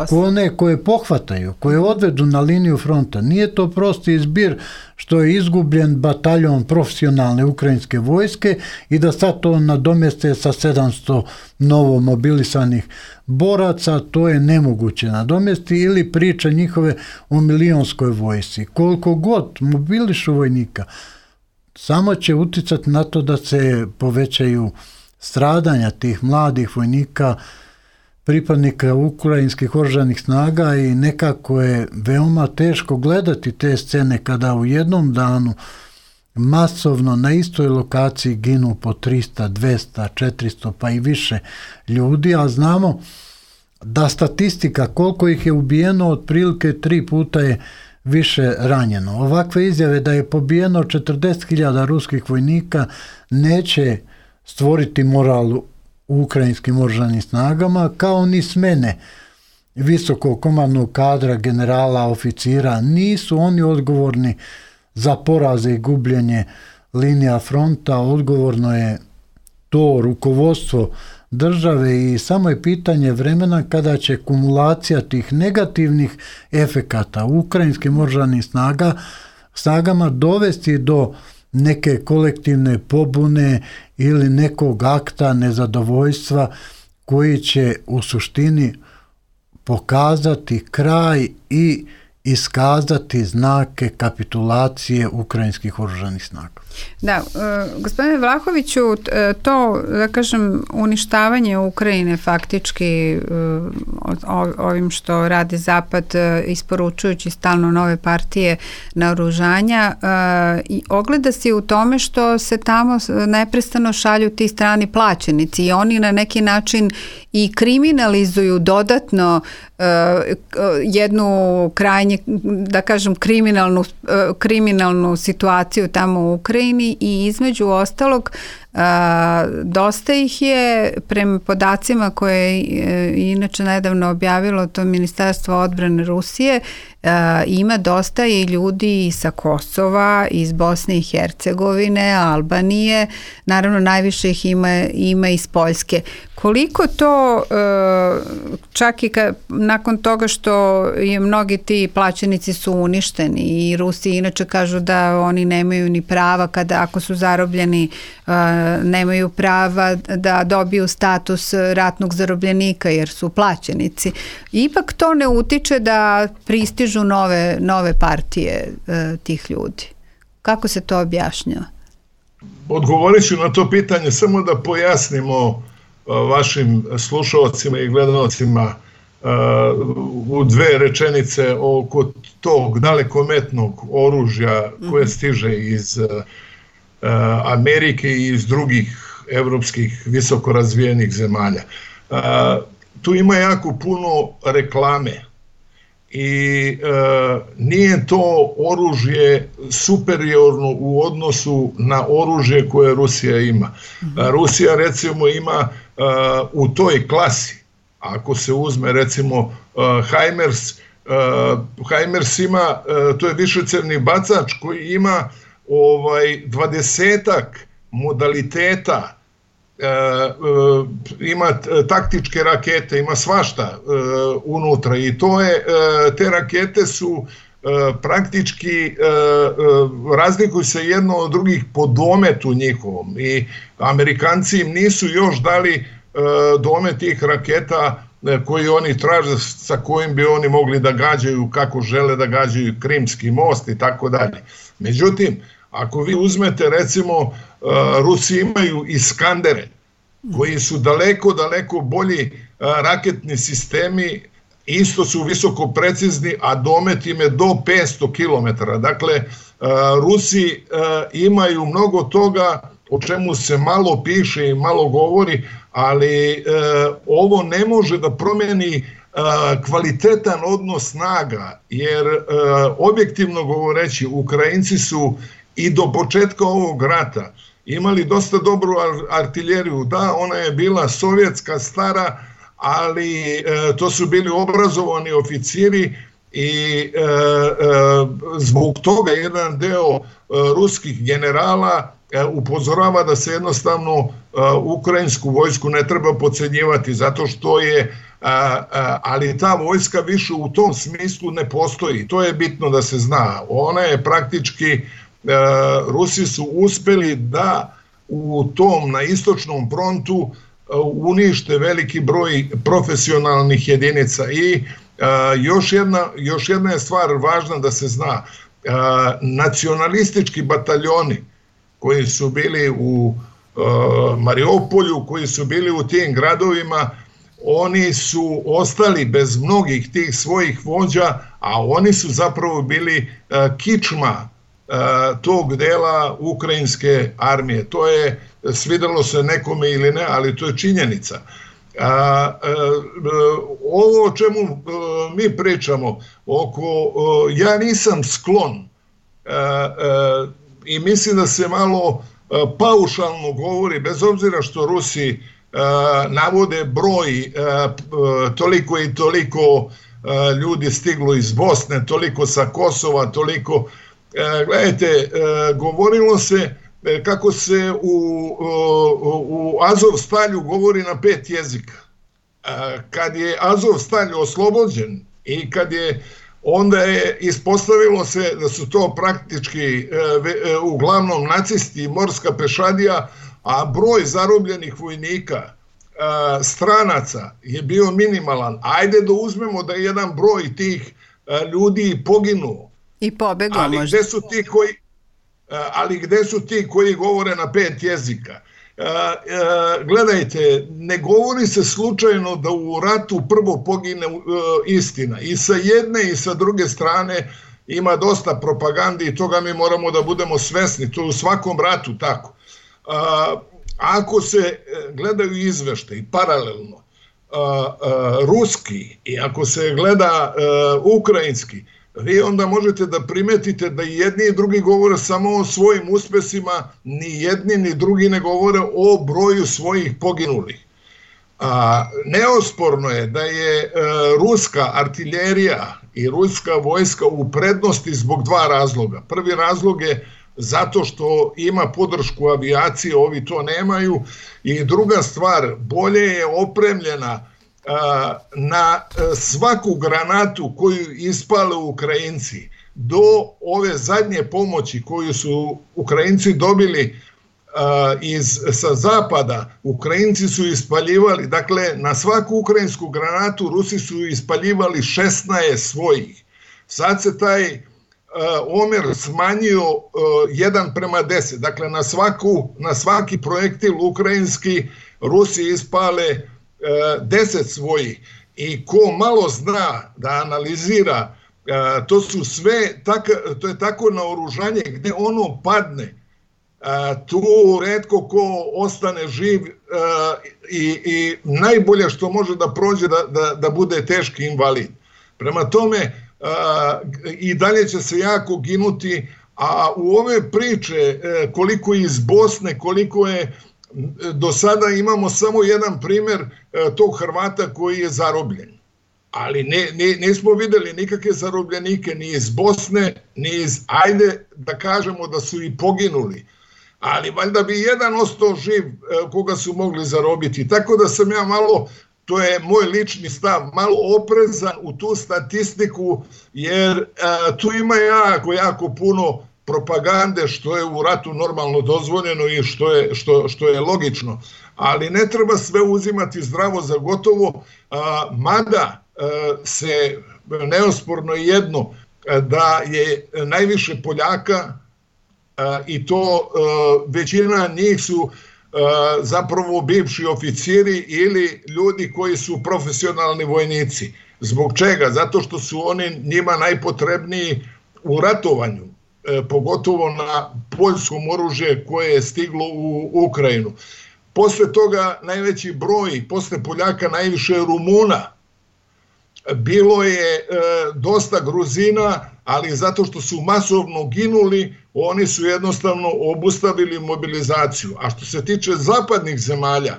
one koje pohvataju, koje odvedu na liniju fronta, nije to prosti zbir što je izgubljen bataljon profesionalne ukrajinske vojske i da sad to nadomjeste sa 700 novo mobilisanih boraca, to je nemoguće nadomjesti, ili priča njihove o milionskoj vojsci. Koliko god mobilišu vojnika, samo će uticati na to da se povećaju stradanja tih mladih vojnika, pripadnika ukrajinskih oružanih snaga, i nekako je veoma teško gledati te scene kada u jednom danu masovno na istoj lokaciji ginu po 300, 200, 400 pa i više ljudi, a znamo da statistika koliko ih je ubijeno otprilike 3 puta je više ranjeno. Ovakve izjave da je pobijeno 40.000 ruskih vojnika neće stvoriti moral u ukrajinskim oružanim snagama, kao ni smene visokog komandnog kadra, generala, oficira. Nisu oni odgovorni za poraze i gubljenje linija fronta, odgovorno je to rukovodstvo države i samo je pitanje vremena kada će kumulacija tih negativnih efekata u ukrajinskim oružanim snagama dovesti do neke kolektivne pobune ili nekog akta nezadovoljstva koji će u suštini pokazati kraj i iskazati znake kapitulacije ukrajinskih oružanih snaga. Da, gospodine Vlahoviću, to, da kažem, uništavanje Ukrajine faktički ovim što radi Zapad, isporučujući stalno nove partije naoružanja, i ogleda se u tome što se tamo neprestano šalju ti strani plaćenici i oni na neki način i kriminalizuju dodatno jednu krajnje, da kažem, kriminalnu situaciju tamo u Ukrajini i između ostalog dosta ih je, prema podacima koje je inače nedavno objavilo to Ministarstvo odbrane Rusije, ima dosta i ljudi i sa Kosova, iz Bosne i Hercegovine, Albanije, naravno najviše ih ima iz Poljske. Koliko to, čak i nakon toga što je mnogi ti plaćenici su uništeni i Rusi inače kažu da oni nemaju ni prava ako su zarobljeni, nemaju prava da dobiju status ratnog zarobljenika jer su plaćenici. Ipak to ne utiče da pristižu nove partije tih ljudi. Kako se to objašnjava? Odgovorit ću na to pitanje, samo da pojasnimo vašim slušalcima i gledalcima u dve rečenice oko tog dalekometnog oružja koje stiže iz Amerike i iz drugih evropskih visoko razvijenih zemalja. Tu ima jako puno reklame i nije to oružje superiorno u odnosu na oružje koje Rusija ima. Rusija recimo ima u toj klasi, ako se uzme recimo HIMARS ima, to je višecevni bacač koji ima 20-ak modaliteta, ima taktičke rakete, ima svašta unutra i te rakete su praktički razlikuju se jedno od drugih po dometu njihovom i Amerikanci im nisu još dali domet tih raketa koji oni traže, sa kojim bi oni mogli da gađaju kako žele da gađaju Krimski most i tako dalje. Međutim, ako vi uzmete recimo, Rusi imaju Iskandere koji su daleko bolji raketni sistemi, isto su visoko precizni, a domet im je do 500 km. Dakle, Rusi imaju mnogo toga o čemu se malo piše i malo govori, ali ovo ne može da promeni kvalitetan odnos snaga, jer objektivno govoreći, Ukrajinci su i do početka ovog rata imali dosta dobru artiljeriju. Da, ona je bila sovjetska, stara, ali to su bili obrazovani oficiri i zbog toga jedan deo ruskih generala upozorava da se jednostavno ukrajinsku vojsku ne treba podcenjivati, zato što je, ali ta vojska više u tom smislu ne postoji. To je bitno da se zna. Ona je praktički, Rusi su uspeli da u tom, na istočnom frontu, unište veliki broj profesionalnih jedinica. I još jedna je stvar važna da se zna. Nacionalistički bataljoni koji su bili u Mariupolju, koji su bili u tim gradovima, oni su ostali bez mnogih tih svojih vođa, a oni su zapravo bili kičma tog dela ukrajinske armije. To je, svidelo se nekome ili ne, ali to je činjenica. Ovo o čemu mi pričamo, ja nisam sklon i mislim da se malo paušalno govori, bez obzira što Rusi navode broj, toliko i toliko ljudi stiglo iz Bosne, toliko sa Kosova, toliko. Gledajte, govorilo se kako se u Azovstalju govori na 5 jezika. Kad je Azovstalj oslobođen i kad je, onda je ispostavilo se da su to praktički uglavnom nacisti i morska pešadija, a broj zarobljenih vojnika stranaca je bio minimalan. Ajde da uzmemo da je jedan broj tih ljudi poginuo. I pobeglo možda. Ali gde su ti koji govore na 5 jezika? Gledajte, ne govori se slučajno da u ratu prvo pogine istina. I sa jedne i sa druge strane ima dosta propagande i toga mi moramo da budemo svesni. To je u svakom ratu tako. Ako se gledaju izveštaji paralelno, ruski i ako se gleda ukrajinski, vi onda možete da primetite da i jedni i drugi govore samo o svojim uspesima, ni jedni ni drugi ne govore o broju svojih poginulih. Neosporno je da je ruska artiljerija i ruska vojska u prednosti zbog 2 razloga. Prvi razlog je zato što ima podršku avijacije, ovi to nemaju, i druga stvar, bolje je opremljena na svaku granatu koju ispale Ukrajinci do ove zadnje pomoći koju su Ukrajinci dobili sa zapada. Ukrajinci su ispaljivali, dakle na svaku ukrajinsku granatu Rusi su ispaljivali 16 svojih. Sad se taj omer smanjio 1:10, dakle na svaki projektil ukrajinski Rusi ispale 10 svojih. I ko malo zna da analizira, to je tako naoružanje gde ono padne, tu retko ko ostane živ i najbolje što može da prođe da bude teški invalid. Prema tome i dalje će se jako ginuti, a u ove priče koliko iz Bosne, koliko je do sada, imamo samo jedan primer tog Hrvata koji je zarobljen. Ali nismo videli nikakve zarobljenike ni iz Bosne, ni iz, ajde da kažemo da su i poginuli. Ali valjda bi jedan ostao živ koga su mogli zarobiti. Tako da sam ja malo, to je moj lični stav, malo oprezan u tu statistiku, jer tu ima jako puno propagande, što je u ratu normalno dozvoljeno i što je logično. Ali ne treba sve uzimati zdravo za gotovo, mada se neosporno jedno, da je najviše Poljaka, i to većina njih su zapravo bivši oficiri ili ljudi koji su profesionalni vojnici. Zbog čega? Zato što su oni njima najpotrebniji u ratovanju, pogotovo na poljskom oružje koje je stiglo u Ukrajinu. Posle toga najveći broj, posle Poljaka najviše Rumuna. Bilo je dosta Gruzina, ali zato što su masovno ginuli, oni su jednostavno obustavili mobilizaciju. A što se tiče zapadnih zemalja,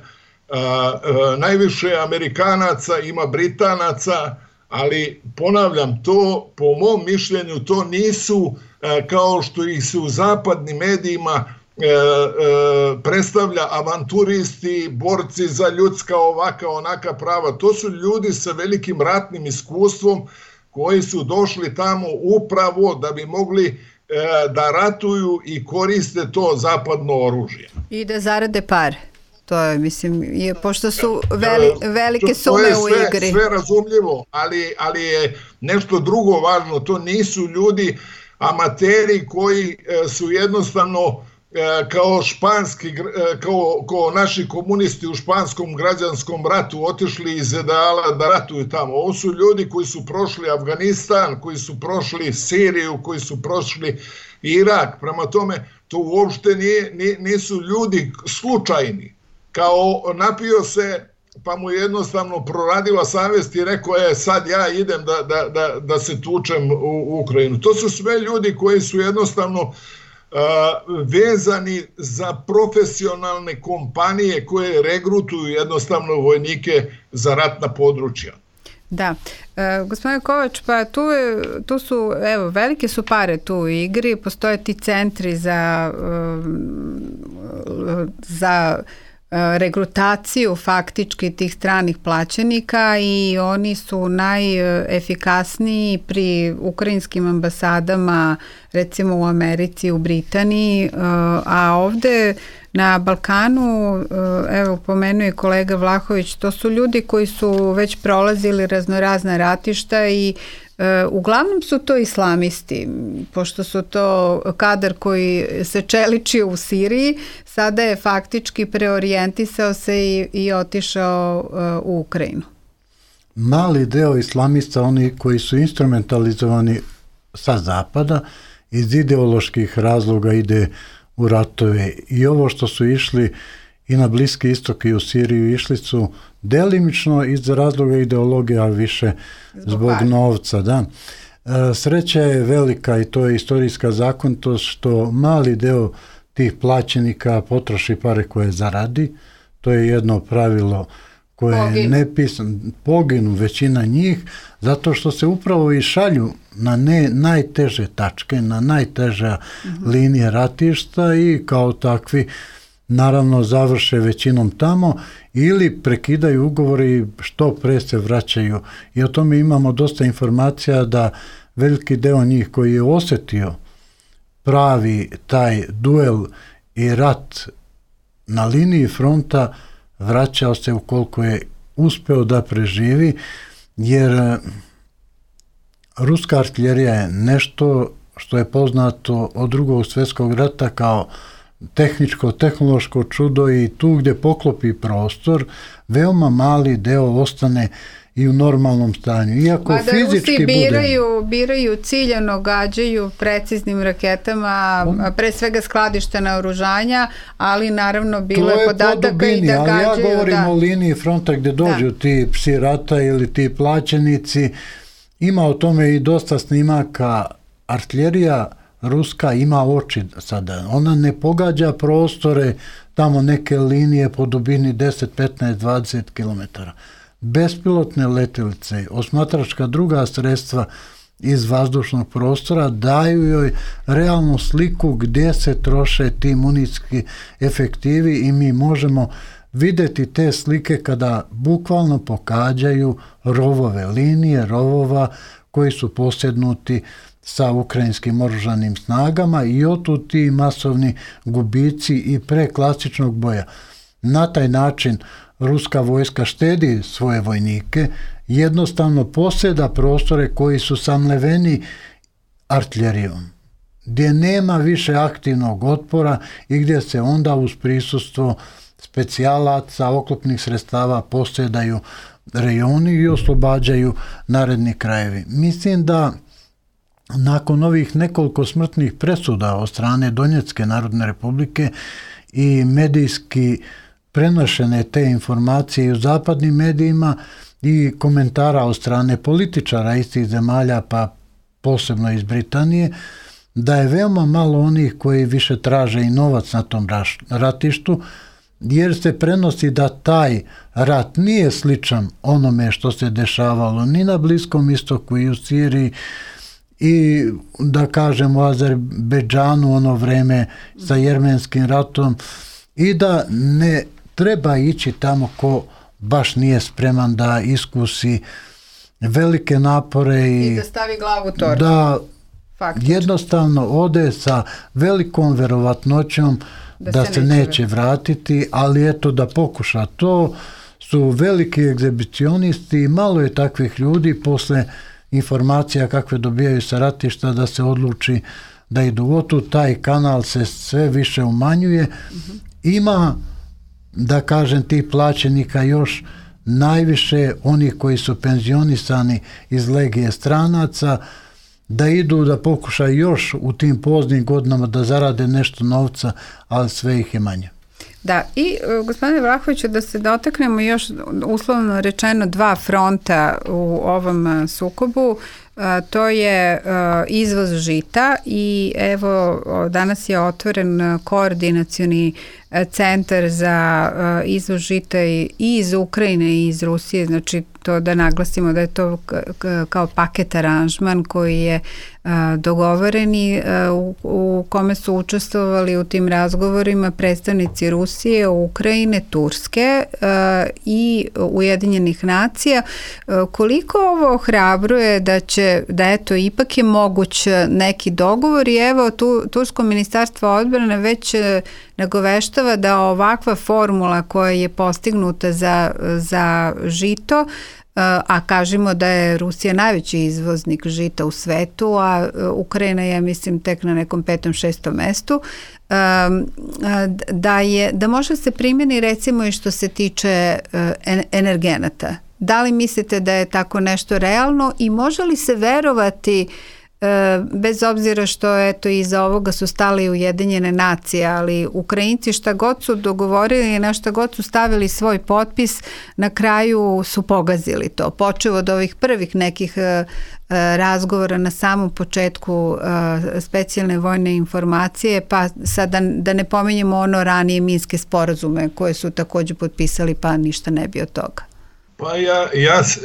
najviše Amerikanaca, ima Britanaca, ali ponavljam, to po mom mišljenju to nisu, kao što ih se u zapadnim medijima predstavlja, avanturisti, borci za ljudska ovaka onaka prava. To su ljudi sa velikim ratnim iskustvom koji su došli tamo upravo da bi mogli da ratuju i koriste to zapadno oružje. I da zarade pare. To je, mislim, pošto su velike sume u igri. To je sve razumljivo, ali je nešto drugo važno. To nisu ljudi amateri koji su jednostavno kao naši komunisti u španskom građanskom ratu otišli iz ideala da ratuju tamo. Ovo su ljudi koji su prošli Afganistan, koji su prošli Siriju, koji su prošli Irak. Prema tome, to uopšte nisu ljudi slučajni. Kao napio se, pa mu jednostavno proradila savjest i rekao je sad ja idem da se tučem u Ukrajinu. To su sve ljudi koji su jednostavno vezani za profesionalne kompanije koje regrutuju jednostavno vojnike za ratna područja. Da. Gospodine Kovač, pa tu su, evo, velike su pare tu u igri, postoje ti centri za regrutaciju faktički tih stranih plaćenika i oni su najefikasniji pri ukrajinskim ambasadama, recimo u Americi, u Britaniji, a ovde Na Balkanu, evo pomenuje kolega Vlahović, to su ljudi koji su već prolazili raznorazna ratišta i uglavnom su to islamisti, pošto su to kadar koji se čeličio u Siriji, sada je faktički preorijentisao se i otišao u Ukrajinu. Mali deo islamista, oni koji su instrumentalizovani sa zapada, iz ideoloških razloga ide u ratove. I ovo što su išli i na Bliski istok i u Siriju, išli su delimično iz razloga ideologije, a više zbog novca. Da. Sreća je velika i to je istorijska zakonitost što mali deo tih plaćenika potroši pare koje zaradi. To je jedno pravilo koje je nepisano. Poginu većina njih zato što se upravo i šalju na najteže tačke, na najteže linije ratišta i kao takvi naravno završe većinom tamo ili prekidaju ugovori i što pre se vraćaju. I o tome imamo dosta informacija da veliki deo njih koji je osjetio pravi taj duel i rat na liniji fronta vraćao se ukoliko je uspeo da preživi, jer ruska artiljerija je nešto što je poznato od Drugog svjetskog rata kao tehničko-tehnološko čudo i tu gdje poklopi prostor, veoma mali deo ostane i u normalnom stanju. Iako fizički biraju ciljano, gađaju preciznim raketama, pre svega skladišta naoružanja, ali naravno bilo je podataka i da gađaju. Ali ja govorim o liniji fronta gdje dođu ti psi rata ili ti plaćenici. Ima o tome i dosta snimaka. Artiljerija ruska ima oči sada. Ona ne pogađa prostore, tamo neke linije po dubini 10, 15, 20 km. Bespilotne letjelice, osmatračka druga sredstva iz vazdušnog prostora daju joj realnu sliku gdje se troše ti municijski efektivi i mi možemo vidjeti te slike kada bukvalno pokađaju rovove, linije rovova koji su posjednuti sa ukrajinskim oružanim snagama i otud ti masovni gubici i pre klasičnog boja. Na taj način ruska vojska štedi svoje vojnike, jednostavno posjeda prostore koji su samleveni artiljerijom, gdje nema više aktivnog otpora i gdje se onda uz prisustvo specijalaca, oklopnih sredstava posjedaju rejoni i oslobađaju naredni krajevi. Mislim da nakon ovih nekoliko smrtnih presuda od strane Donjecke narodne republike i medijski prenošene te informacije u zapadnim medijima i komentara od strane političara istih zemalja, pa posebno iz Britanije, da je veoma malo onih koji više traže i novac na tom ratištu, jer se prenosi da taj rat nije sličan onome što se dešavalo ni na Bliskom istoku i u Siriji i da kažem u Azerbejdžanu ono vreme sa jermenskim ratom i da ne treba ići tamo ko baš nije spreman da iskusi velike napore i da stavi glavu u torbu. Da jednostavno ode sa velikom verovatnoćom da se neće vratiti, ali eto da pokuša. To su veliki egzibicionisti i malo je takvih ljudi posle informacija kakve dobijaju sa ratišta da se odluči da idu otud. Taj kanal se sve više umanjuje. Ima, da kažem, tih plaćenika još najviše onih koji su penzionisani iz legije stranaca, da idu da pokušaju još u tim poznim godinama da zarade nešto novca, ali sve ih je manje. Da, i gospodine Vlahoviću, da se dotaknemo još uslovno rečeno dva fronta u ovom sukobu, to je izvoz žita i evo danas je otvoren koordinacioni centar za izvoz žita i iz Ukrajine i iz Rusije, znači to da naglasimo da je to kao paket aranžman koji je dogovoren i u kome su učestvovali u tim razgovorima predstavnici Rusije, Ukrajine, Turske i Ujedinjenih nacija. Koliko ovo ohrabruje da eto ipak je moguć neki dogovor i evo Tursko ministarstvo odbrane već nagoveštava da ovakva formula koja je postignuta za žito, a kažemo da je Rusija najveći izvoznik žita u svetu, a Ukrajina je, mislim, tek na nekom 5. 6. mestu, da može se primjeni recimo i što se tiče energenata. Da li mislite da je tako nešto realno i može li se verovati, bez obzira što eto iza ovoga su stali Ujedinjene nacije, ali Ukrajinci šta god su dogovorili i na šta god su stavili svoj potpis, na kraju su pogazili to. Počev od ovih prvih nekih razgovora na samom početku specijalne vojne informacije, pa sad da ne pominjemo ono ranije minske sporazume koje su također potpisali, pa ništa ne bi od toga. Pa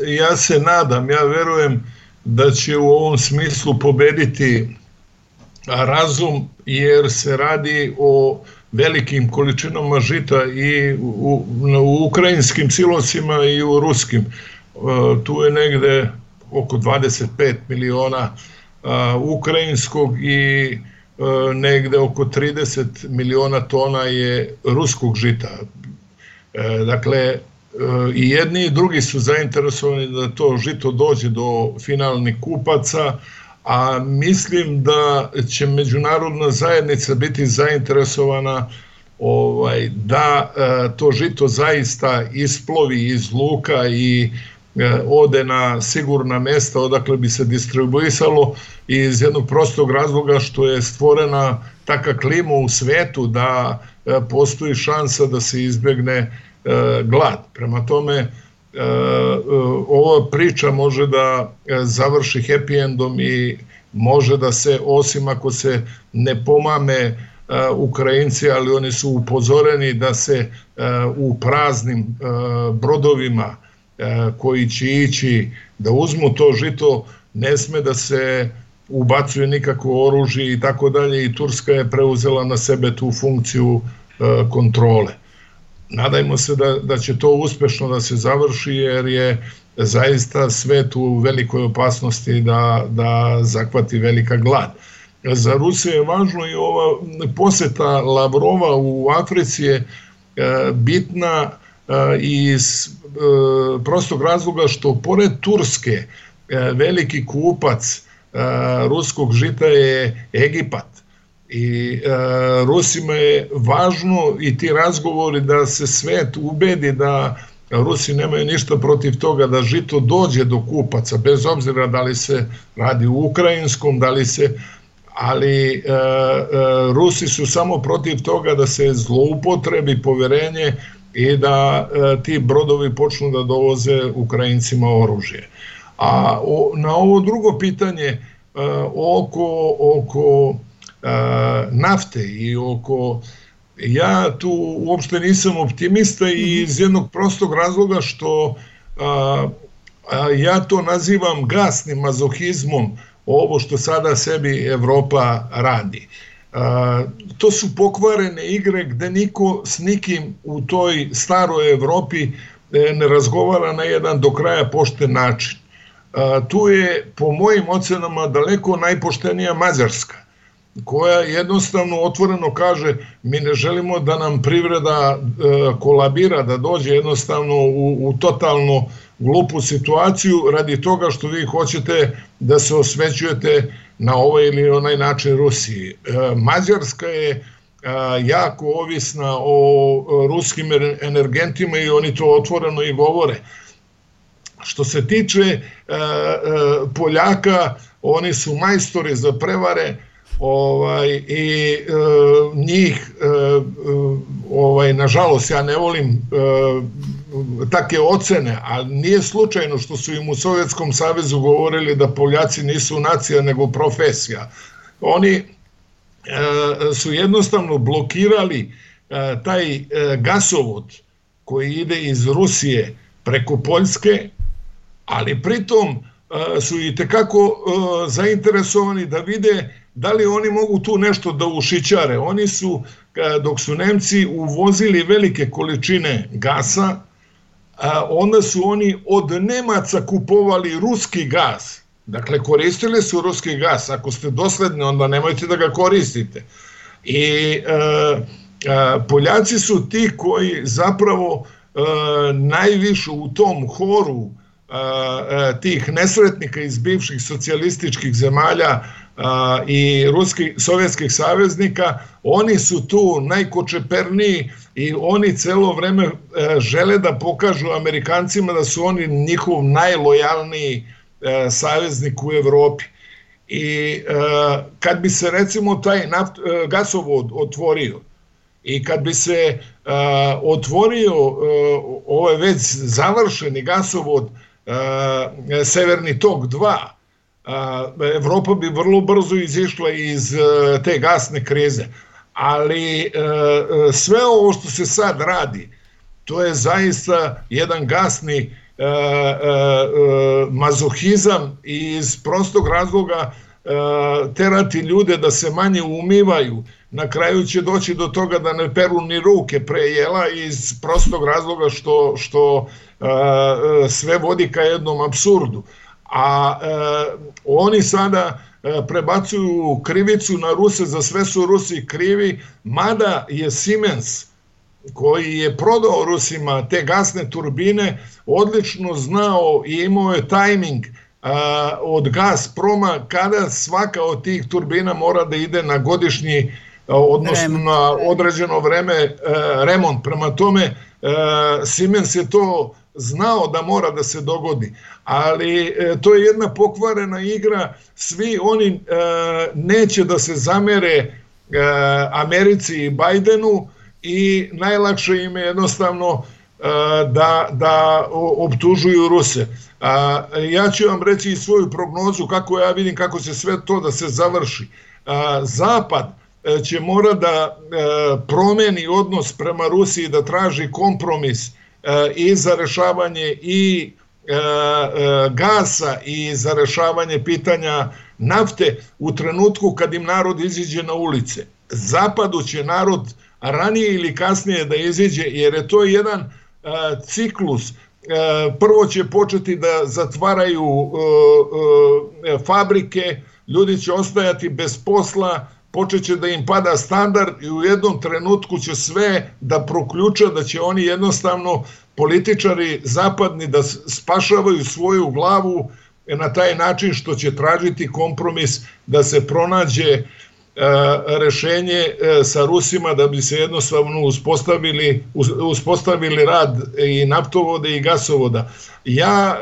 ja se nadam, ja verujem da će u ovom smislu pobediti razum, jer se radi o velikim količinama žita i u ukrajinskim silosima i u ruskim. Tu je negde oko 25 miliona ukrajinskog i negde oko 30 miliona tona je ruskog žita. Dakle, i jedni i drugi su zainteresovani da to žito dođe do finalnih kupaca, a mislim da će međunarodna zajednica biti zainteresovana da to žito zaista isplovi iz luka i ode na sigurna mesta odakle bi se distribuisalo, iz jednog prostog razloga što je stvorena taka klima u svetu da postoji šansa da se izbegne glad. Prema tome, ova priča može da završi happy endom i može da se, osim ako se ne pomame Ukrajinci, ali oni su upozoreni da se u praznim brodovima koji će ići da uzmu to žito, ne sme da se ubacuje nikakvo oružje i tako dalje, i Turska je preuzela na sebe tu funkciju kontrole. Nadajmo se da će to uspešno da se završi, jer je zaista svet u velikoj opasnosti da zahvati velika glad. Za Rusiju je važno i ova poseta Lavrova u Africi je bitna iz prostog razloga što pored Turske veliki kupac ruskog žita je Egipat. I Rusima je važno i ti razgovori da se svet ubedi da Rusi nemaju ništa protiv toga da žito dođe do kupaca, bez obzira da li se radi u ukrajinskom, ali Rusi su samo protiv toga da se zloupotrebi poverenje i da ti brodovi počnu da dovoze Ukrajincima oružje. A na ovo drugo pitanje oko nafte i ja tu uopšte nisam optimista i iz jednog prostog razloga što ja to nazivam gasnim mazohizmom, ovo što sada sebi Evropa radi. To su pokvarene igre gde niko s nikim u toj staroj Evropi ne razgovara na jedan do kraja pošten način. Tu je po mojim ocenama daleko najpoštenija Mađarska, koja jednostavno otvoreno kaže mi ne želimo da nam privreda kolabira, da dođe jednostavno u totalno glupu situaciju radi toga što vi hoćete da se osvećujete na ovaj ili onaj način Rusiji. Mađarska je jako ovisna o ruskim energentima i oni to otvoreno i govore. Što se tiče Poljaka, oni su majstori za prevare, i njih, nažalost, ja ne volim take ocene, ali nije slučajno što su im u Sovjetskom savezu govorili da Poljaci nisu nacija nego profesija. Oni su jednostavno blokirali taj gasovod koji ide iz Rusije preko Poljske, ali pritom su i tekako zainteresovani da vide da li oni mogu tu nešto da ušićare. Oni su, dok su Nemci uvozili velike količine gasa, onda su oni od Nemaca kupovali ruski gas. Dakle, koristili su ruski gas. Ako ste dosledni, onda nemojte da ga koristite. I Poljaci su ti koji zapravo najviše u tom horu tih nesretnika iz bivših socijalističkih zemalja i sovjetskih saveznika, oni su tu najkočeperniji i oni celo vreme žele da pokažu Amerikancima da su oni njihov najlojalniji saveznik u Evropi. I kad bi se recimo taj gasovod otvorio i kad bi se otvorio ovaj već završeni gasovod Severni tok 2, Evropa bi vrlo brzo izišla iz te gasne krize. Ali sve ovo što se sad radi, to je zaista jedan gasni mazohizam iz prostog razloga terati ljude da se manje umivaju. Na kraju će doći do toga da ne peru ni ruke pre jela iz prostog razloga što sve vodi ka jednom apsurdu. A oni sada prebacuju krivicu na Ruse, za sve su Rusi krivi, mada je Siemens, koji je prodao Rusima te gasne turbine, odlično znao i imao je tajming od Gazproma kada svaka od tih turbina mora da ide na godišnji, odnosno na određeno vreme remont. Prema tome, Siemens je to znao da mora da se dogodi, ali to je jedna pokvarena igra. Svi oni neće da se zamere Americi i Bajdenu i najlakše im je jednostavno da optužuju Ruse. Ja ću vam reći i svoju prognozu kako ja vidim kako će sve to da se završi. Zapad će mora da promeni odnos prema Rusiji, da traži kompromis i za rešavanje i gasa i za rešavanje pitanja nafte u trenutku kad im narod iziđe na ulice. Zapadu će narod ranije ili kasnije da iziđe, jer je to jedan ciklus. Prvo će početi da zatvaraju fabrike, ljudi će ostajati bez posla, počeće da im pada standard i u jednom trenutku će sve da proključa, da će oni jednostavno, političari zapadni, da spašavaju svoju glavu na taj način što će tražiti kompromis da se pronađe rešenje sa Rusima da bi se jednostavno uspostavili rad i naftovode i gasovoda. Ja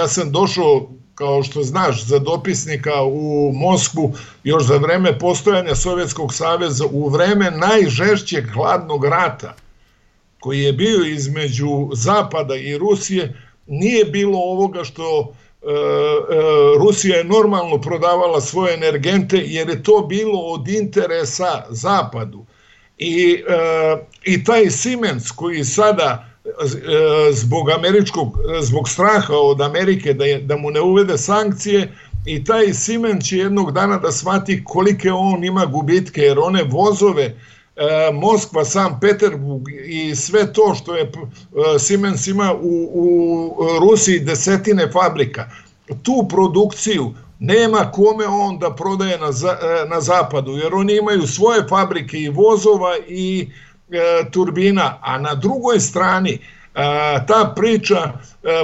sam došao, kao što znaš, za dopisnika u Moskvu još za vreme postojanja Sovjetskog saveza, u vreme najžešćeg hladnog rata koji je bio između Zapada i Rusije. Nije bilo ovoga što Rusija je normalno prodavala svoje energente, jer je to bilo od interesa Zapadu. I taj Siemens koji sada zbog straha od Amerike da mu ne uvede sankcije, i taj Siemens će jednog dana da shvati kolike on ima gubitke, jer one vozove Moskva, San Peterburg i sve to što je Siemens ima u Rusiji, desetine fabrika, tu produkciju nema kome on da prodaje na zapadu, jer oni imaju svoje fabrike i vozova i turbina, a na drugoj strani ta priča,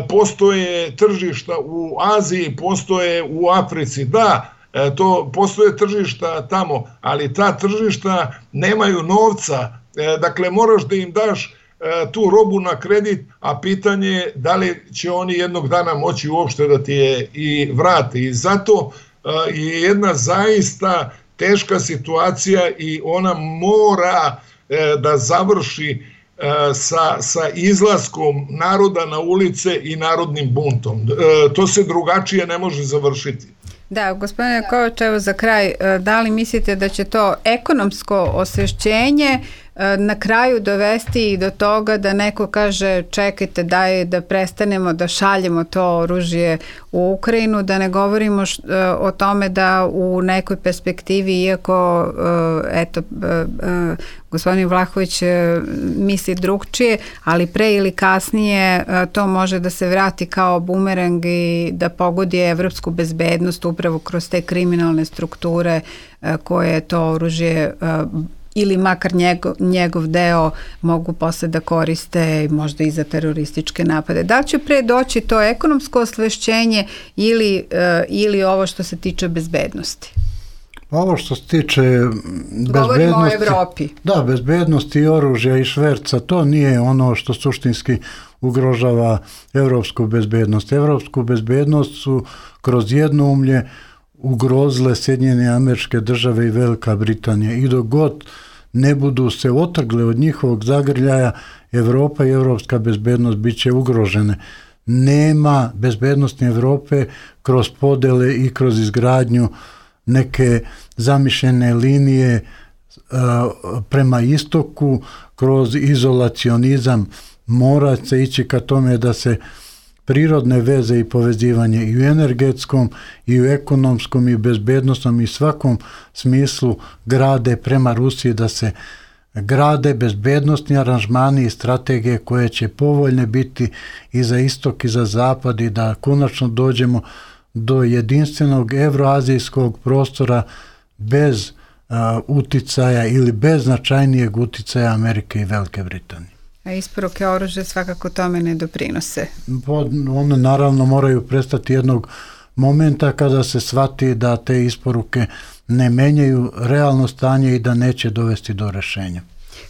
postoje tržišta u Aziji, postoje u Africi, da, to postoje tržišta tamo, ali ta tržišta nemaju novca, dakle moraš da im daš tu robu na kredit, a pitanje je da li će oni jednog dana moći uopšte da ti je i vrati. I zato je jedna zaista teška situacija i ona mora da završi sa izlaskom naroda na ulice i narodnim buntom. To se drugačije ne može završiti. Da, gospodine Kovač, evo za kraj, da li mislite da će to ekonomsko osvešćenje na kraju dovesti i do toga da neko kaže čekajte daj da prestanemo da šaljemo to oružje u Ukrajinu, da ne govorimo o tome da u nekoj perspektivi, iako gospodin Vlahović misli drugčije, ali pre ili kasnije to može da se vrati kao bumerang i da pogodi evropsku bezbednost upravo kroz te kriminalne strukture koje to oružje ili makar njegov deo mogu posle da koriste možda i za terorističke napade. Da li će pre doći to ekonomsko osvešćenje ili ovo što se tiče bezbednosti? Ovo što se tiče bezbednosti... Govorimo o Evropi. Da, bezbednosti i oružja i šverca, to nije ono što suštinski ugrožava evropsku bezbednost. Evropsku bezbednost su kroz jednoumlje ugrozile Sjedinjene Američke Države i Velika Britanija. I dok god ne budu se otrgle od njihovog zagrljaja, Evropa i evropska bezbednost bit će ugrožene. Nema bezbednosti Evrope kroz podele i kroz izgradnju neke zamišljene linije prema istoku, kroz izolacionizam. Mora se ići ka tome da se prirodne veze i povezivanje i u energetskom i u ekonomskom i bezbednostnom i svakom smislu grade prema Rusiji, da se grade bezbednostni aranžmani i strategije koje će povoljne biti i za istok i za zapad i da konačno dođemo do jedinstvenog evroazijskog prostora bez uticaja ili bez značajnijeg uticaja Amerike i Velike Britanije. A isporuke oružja svakako tome ne doprinose. One naravno moraju prestati jednog momenta kada se shvati da te isporuke ne menjaju realno stanje i da neće dovesti do rešenja.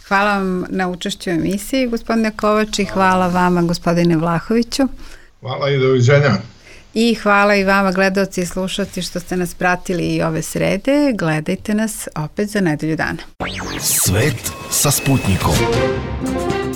Hvala vam na učešću u emisiji, gospodine Kovač, i hvala vama, gospodine Vlahoviću. Hvala i doviđenja. I hvala i vama, gledaoci i slušalci, što ste nas pratili i ove srede. Gledajte nas opet za nedelju dana. Svet sa Sputnikom.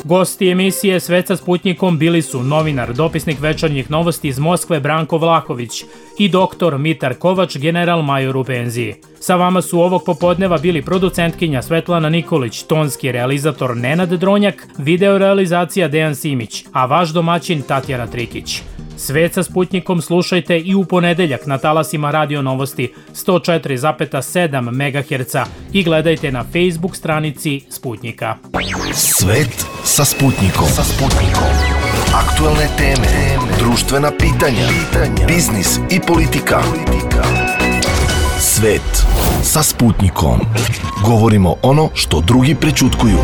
Gosti emisije Svet sa Sputnikom bili su novinar, dopisnik Večernjih novosti iz Moskve Branko Vlahović i doktor Mitar Kovač, general major u penziji. Sa vama su ovog popodneva bili producentkinja Svetlana Nikolić, tonski realizator Nenad Dronjak, video realizacija Dejan Simić, a vaš domaćin Tatjana Trikić. Svet sa Sputnikom slušajte i u ponedeljak na talasima Radio Novosti 104,7 MHz i gledajte na Facebook stranici Sputnika. Svet sa Sputnikom. Aktuelne teme, društvena pitanja, biznis i politika. Svet sa Sputnikom. Govorimo ono što drugi prećutkuju.